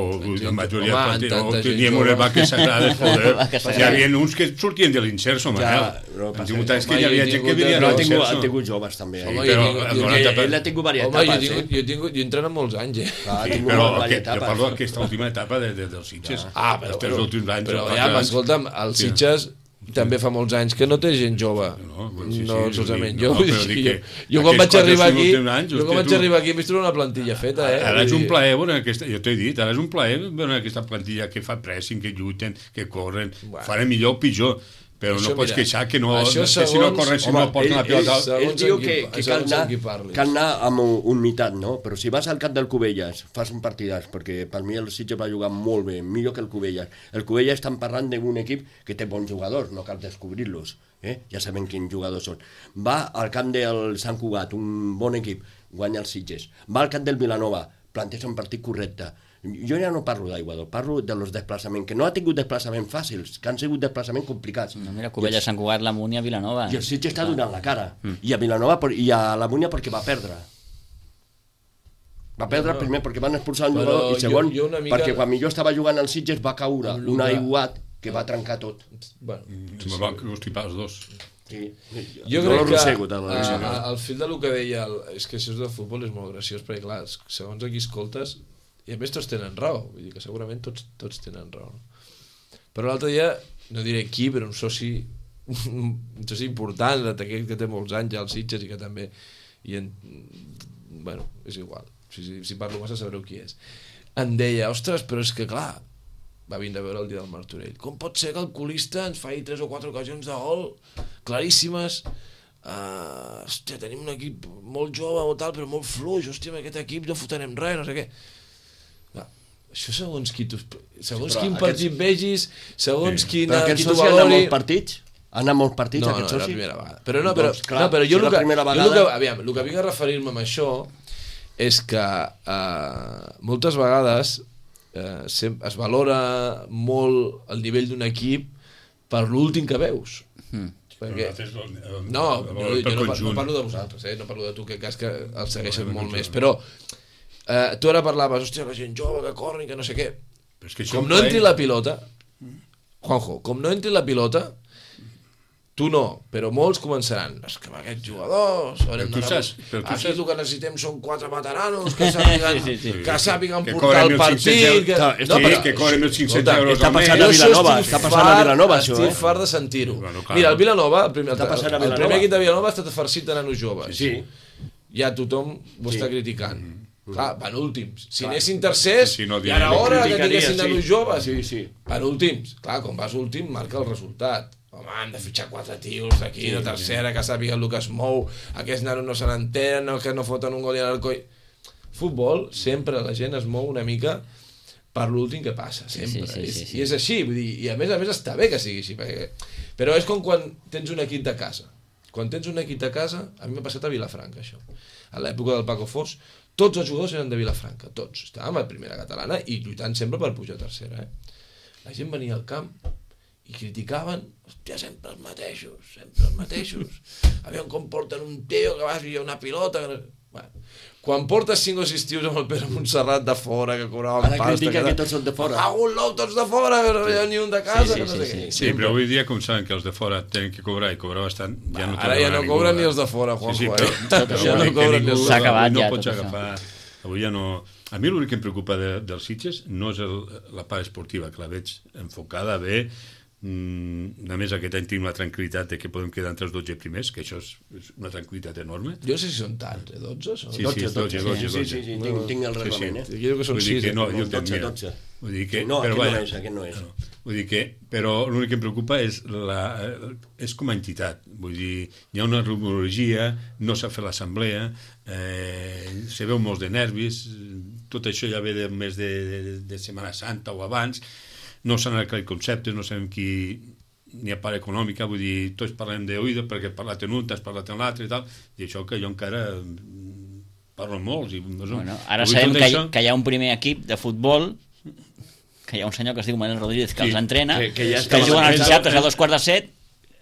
la majoria home, de tanta gent teníem jove. unes vaques sagrades, joder. Vaques Hi havia uns que sortien de l'Inserso, Manel. no Han passa tingut res. anys que Home, hi havia jo he gent que tingut- vivia Però de ha tingut, ha l'Inserso. tingut joves també. Home, eh? però jo, el jo, noranta Ell, per- ell ha tingut Home, diverses jo he etapes, tingut, eh? jo he tingut, jo he entrenat molts anys, eh? Clar, ha Sí, tingut però diverses aquest, jo etapes. parlo d'aquesta última etapa de, de, dels Sitges. Ah, però, els tres però, últims anys. però o ja, quatre anys. escolta'm, el Sitges també fa molts anys que no té gent jove. No, bueno, sí, sí, no sí, solament sí, jo. no, vull però dir, dic jo, que jo quan aquests vaig quatre arribar aquí, últims anys, jo quan hòstia, vaig tu- arribar aquí he vist una plantilla feta, eh? Ara és Vull un dir, plaer veure aquesta, jo t'he dit, ara és un plaer veure aquesta plantilla que fa pressing, que lluiten, que corren, Bueno. faran millor o pitjor, però Això, no pots mira, queixar que no, això que si no segons- corren, si Home, no porten la ell- pilota... ell- Segons Ell diu amb que, qui- que segons cal, anar, amb qui parlis. cal anar amb humitat, no? Però si vas al camp del Cubelles, fas un partidàs, perquè per mi el Sitges va jugar molt bé, millor que el Cubelles. El Cubelles estan parlant d'un equip que té bons jugadors, no cal descobrir-los, eh? Ja sabem quins jugadors són. Va al camp del Sant Cugat, un bon equip, guanya el Sitges. Va al camp del Vilanova, planteja un partit correcte. Jo ja no parlo d'Aiguador, parlo de los desplaçaments, que no ha tingut desplaçaments fàcils, que han sigut desplaçaments complicats. No, mira, Cubelles, Sant Cugat, la Múnia, Vilanova. I el Sitges està donant la cara. Mm. I a Vilanova per- i a la Múnia perquè va perdre. Va perdre No, primer perquè van expulsar un però jugador i segon jo- jo una mica- perquè quan millor estava jugant al Sitges va caure Amb un lo que- aiguat que va trencar tot. Bueno, Me va constipar els dos. Sí. jo no crec lo que rosego, tant, a, la a, al fil del que deia el, és que això de futbol és molt graciós perquè clar, segons a qui escoltes i a més tots tenen raó, vull dir que segurament tots, tots tenen raó, no? Però l'altre dia no diré qui, però un soci un soci important, d'aquell que té molts anys ja als Sitges i que també i en, bueno, és igual si, si, si parlo massa sabreu qui és, em deia, ostres, però és que clar va vindre a veure el dia del Martorell, com pot ser que el colista ens faci tres o quatre ocasions de gol claríssimes, uh, hòstia, tenim un equip molt jove o tal, però molt fluix, hòstia, amb aquest equip no fotrem res, no sé què. Va, això segons qui tu, segons sí, quin aquest... partit vegis, segons sí. quina, qui tu valori... Però aquest soci ha anat molts partits? Ha anat molts partits, no, aquest no, soci? No, no, la primera vegada. Però no, però, doncs, clar, no, però jo, si el que, vegada... jo el que, aviam, el que vinc a referir-me amb això és que uh, moltes vegades uh, es valora molt el nivell d'un equip per l'últim que veus. Mm. Perquè... No, no, jo no, no parlo de vosaltres, eh? No parlo de tu, que cas que el segueixes no, molt més, però uh, tu ara parlaves, hòstia, la gent jove que corren, que no sé què. Que com no entri la pilota, Juanjo, com no entri la pilota, tu no, però molts començaran, és que amb aquests jugadors però tu saps, però tu aquí saps... el que necessitem són quatre veteranos que sàpiguen, sí, sí, sí. que sàpiguen que portar el partit que... No, no, però... que cobren mil cinc-cents euros està passant a Vilanova, està passant a Vilanova això, estic fart de sentir-ho. Bueno, mira, el Vilanova, el primer, el, el, el primer equip de Vilanova ha estat farcit de nanos joves, sí. Ja tothom ho sí. està criticant. Mm-hmm. Clar, van últims. Si clar. anessin tercers, sí, sí, no, ja era hora que tinguessin nanos joves. Sí, sí. Van últims. Clar, quan vas últim marca el resultat. Home, han de fitxar quatre tios d'aquí, sí, de tercera, sí. que sàpiguen el que es mou, aquests nanos no se n'entenen, no, que no foten un gol i a l'arcoi. Futbol, sempre la gent es mou una mica per l'últim que passa, sempre. Sí, sí, sí, sí. I és així, vull dir, i a més a més està bé que sigui així, perquè... però és com quan tens un equip de casa. Quan tens un equip de casa, a mi m'ha passat a Vilafranca, això. A l'època del Paco Fos, tots els jugadors eren de Vilafranca, tots. Estàvem a primera catalana i lluitant sempre per pujar a tercera. Eh? La gent venia al camp i criticaven, hòstia, sempre els mateixos, sempre els mateixos. Aviam com porten un tio que va a una pilota... Que... Bueno, quan portes cinc o sis tios amb el Pere Montserrat de fora, que cobraven ara pasta... Ara critica que, que tots són de fora. Ah, un nou, tots de fora, que no hi ha ni un de casa, sí, sí, que no sé sí, què. Sí, sí, però avui dia, com saben que els de fora tenen que cobrar i cobrar bastant, ja no ara ja no cobren ni els de fora, Juanjo, sí, sí, però, eh? Però, ja no cobren ni els de fora. S'ha acabat ja no pots tot agafar... Avui ja no... A mi l'únic que em preocupa de, dels Sitges no és el, la part esportiva, que la veig enfocada bé. Mm, a més, aquest any tinc la tranquil·litat de que podem quedar entre els dotze primers, que això és, és una tranquil·litat enorme. Jo no sé si són tants, eh? dotze? Són? Sí, sí, dotze, dotze, dotze. Sí, sí, sí, tinc, tinc el reglament, eh? Jo que són sis. No, jo dotze, dotze. Vull dir que, no, però, aquest vaja, no és, aquest no és. No, vull dir que, però l'únic que em preocupa és, la, és com a entitat. Vull dir, hi ha una rumorologia, no s'ha fet l'assemblea, eh, se veu molts de nervis, tot això ja ve de més de, de, de Setmana Santa o abans, no s'han aclarit conceptes, no sabem qui ni a part econòmica, vull dir, tots parlem d'oïda perquè has parlat en un, t'has parlat en l'altre i tal, i això que jo encara parlo amb molts. I, no sé, bueno, ara sabem que, això... que hi ha un primer equip de futbol, que hi ha un senyor que es diu Manel Rodríguez que sí, els entrena, que, que, ja que juguen als dissabtes a dos quarts de set.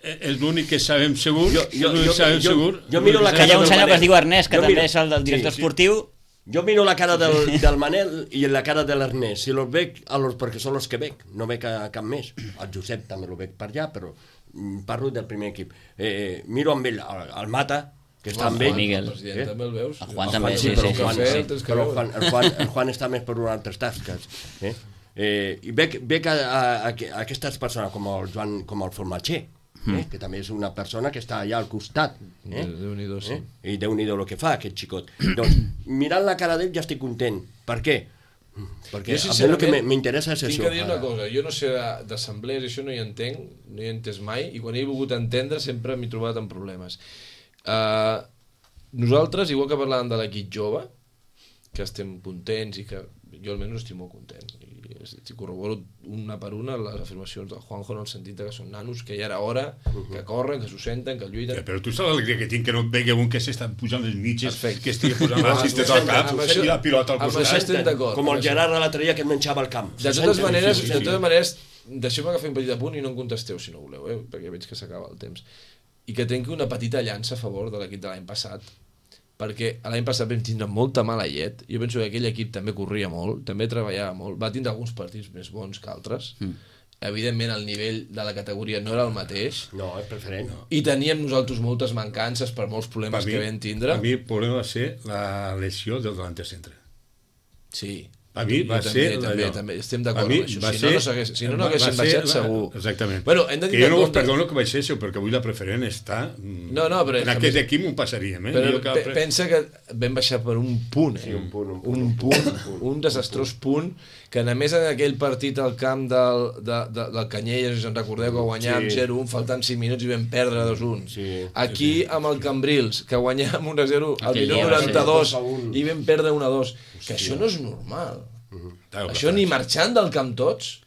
És l'únic que sabem segur. Jo, jo, jo, sabem jo, segur. Jo miro la que hi ha un senyor que es diu Ernest, que jo també miro, és el del director sí, esportiu. Sí. Jo miro la cara del, del Manel i la cara de l'Ernest. Si los veig, a los, perquè són els que veig, no veig a cap més. El Josep també lo veig per allà, però parlo del primer equip. Eh, miro amb ell, el Mata, que està amb ell. Miguel. El també el veus? El Juan també, sí, sí. sí, Juan, sí, sí, sí. Però el Juan, el, Juan, el Juan està més per unes altres tasques. Eh? Eh, I veig, veig a, a, a, a aquestes persones com el Joan, com el Formatger, eh? mm. que també és una persona que està allà al costat. Eh? Déu-n'hi-do, sí. Eh? I Déu-n'hi-do el que fa aquest xicot. Doncs, mirant la cara d'ell ja estic content. Per què? Perquè jo, a mi el que m'interessa és tinc això. Tinc que dir una cosa, jo no sé d'assemblees, això no hi entenc, no hi he entès mai, i quan he volgut entendre sempre m'he trobat en problemes. Uh, nosaltres, igual que parlàvem de l'equip jove, que estem contents i que jo almenys estic molt content, i corroboro una per una les afirmacions del Juanjo en el sentit que són nanos, que ja era hora, que corren, que s'ho senten, que lluiten. Ja, però tu saps l'alegria que tinc que no et vegi un que s'està pujant les mitges, perfecte, que estigui posant l'assistent al cap i la pilota al costat. Com el Gerard a l'altre dia que et menjava el camp. De totes maneres, de totes maneres, deixeu-me que fer un petit apunt i no em contesteu si no voleu, eh? Perquè veig que s'acaba el temps. I que trenqui una petita llança a favor de l'equip de l'any passat, perquè l'any passat vam tindre molta mala llet. Jo penso que aquell equip també corria molt, també treballava molt, va tindre alguns partits més bons que altres. Mm. Evidentment el nivell de la categoria no era el mateix. No, és preferent. No. I teníem nosaltres moltes mancances per molts problemes mi, que vam tindre. A mi el problema va ser la lesió del delanter centre. Sí. A mi va jo ser... també, també, allò. també, estem d'acord A mi amb això. va Si ser- no, no s'hagués- si no, no va- haguessin va ser baixat, la- segur. Exactament. Bueno, hem de que tenir jo en no us compte- perdono que baixéssiu, perquè avui la preferent està... mm, No, no, però és en que aquest més- equip m'ho passaríem, eh? Però Jo que- pe pensa que vam baixar per un punt, eh? Sí, un punt, un punt, un, un punt, punt, un desastrós punt, que a més en aquell partit al camp del, de, de, del Canyelles, si us en recordeu, que guanyàvem Sí. zero un, faltant cinc minuts i vam perdre dos un. Sí. Aquí amb el Cambrils, que guanyàvem un a zero al Aquell minut dia va ser noranta-dos dos a un. i vam perdre un a dos. Que això no és normal. Clar, Això ni marxant del camp tots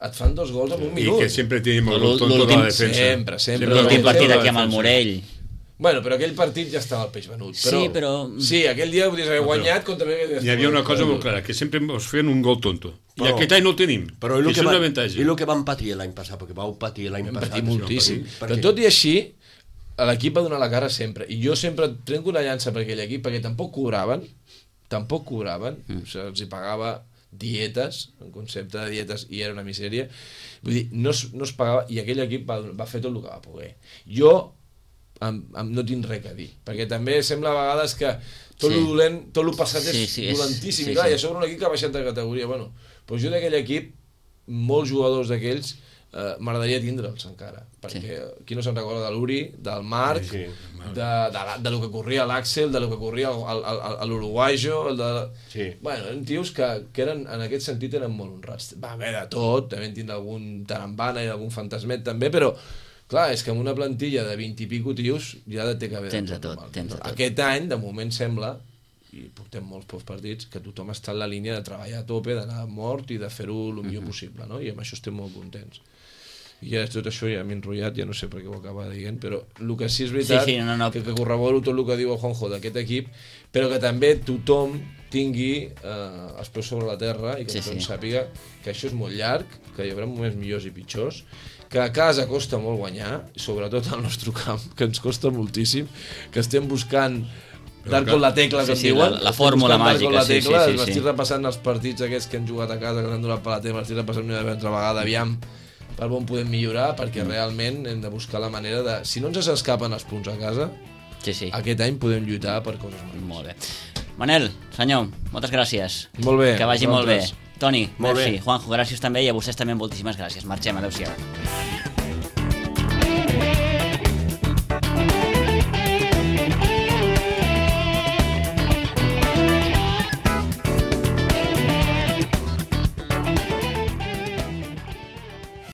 et fan dos gols en un I minut. que sempre tenim el L'últim- tonto de la defensa. sempre, sempre. L'últim Sempre partit la aquí amb el defensa. Morell. Bueno, però aquell partit ja estava el peix venut. Però, Sí, però- Sí, aquell dia podries haver guanyat contra... Hi havia una cosa molt clara, que sempre ens feien un gol tonto. I Però- aquest any no el tenim. Però I el això que, és va, un avantatge. i el que vam patir l'any passat, perquè vau patir l'any Vam passat... patir moltíssim. Per Però què? tot i així, l'equip va donar la cara sempre. I jo sempre trenco una llança per aquell equip, perquè tampoc cobraven, tampoc cobraven, mm. o sigui, els hi pagava dietes, en concepte de dietes, i era una misèria. Vull dir, no es, no es pagava, i aquell equip va, va fer tot el que va poder. Jo em, em, no tinc res a dir, perquè també sembla a vegades que tot Sí. el dolent, tot el passat Sí, és sí, és- dolentíssim, sí, i clar, sí. i a sobre un equip que ha baixat de categoria. Bueno, doncs jo d'aquell equip, molts jugadors d'aquells, eh, m'agradaria tindre'ls encara, perquè sí. qui no se'n recorda de l'Uri, del Marc, Sí, de, de, la, de lo que corria l'Àxel, de lo que corria el- el- el- el- l'Uruguayo, el de... Sí. Bueno, eren tios que, que eren, en aquest sentit eren molt honrats. Va haver de tot, també en tindre algun tarambana i algun fantasmet també, però clar, és que amb una plantilla de vint i pico tios ja té que haver Tens de de tot, normal. tens de tot. Aquest any, de moment, sembla, i portem molts pocs partits, que tothom està en la línia de treballar a tope, d'anar mort i de fer-ho el millor possible, no? I amb això estem molt contents. I ja tot això ja m'he enrotllat, ja no sé per què ho acaba dient, però el que sí és veritat, Sí, sí, no, no. que, que corroboro tot el que diu el Juanjo d'aquest equip, però que també tothom tingui eh, els peus sobre la terra i que Sí, tothom sí. sàpiga que això és molt llarg, que hi haurà moments millors i pitjors, que a casa costa molt guanyar, i sobretot al nostre camp, que ens costa moltíssim, que estem buscant dar que- con la tecla, que Sí, em sí, diuen. la- la Estem fórmula buscant dar con màgica, la sí, tecla, sí, sí, m'estic sí. repassant els partits aquests que han jugat a casa, que han donat per la teva, m'estic repassant una altra vegada, aviam per on podem millorar, perquè realment hem de buscar la manera de... Si no ens s'escapen els punts a casa, Sí, sí. aquest any podem lluitar per coses molt. Molt bé. Manel, senyor, moltes gràcies. Molt bé. Que vagi molt bé. vosaltres. Toni, Molt merci. bé. Juanjo, gràcies també, i a vostès també moltíssimes gràcies. Marxem, adeu-siau.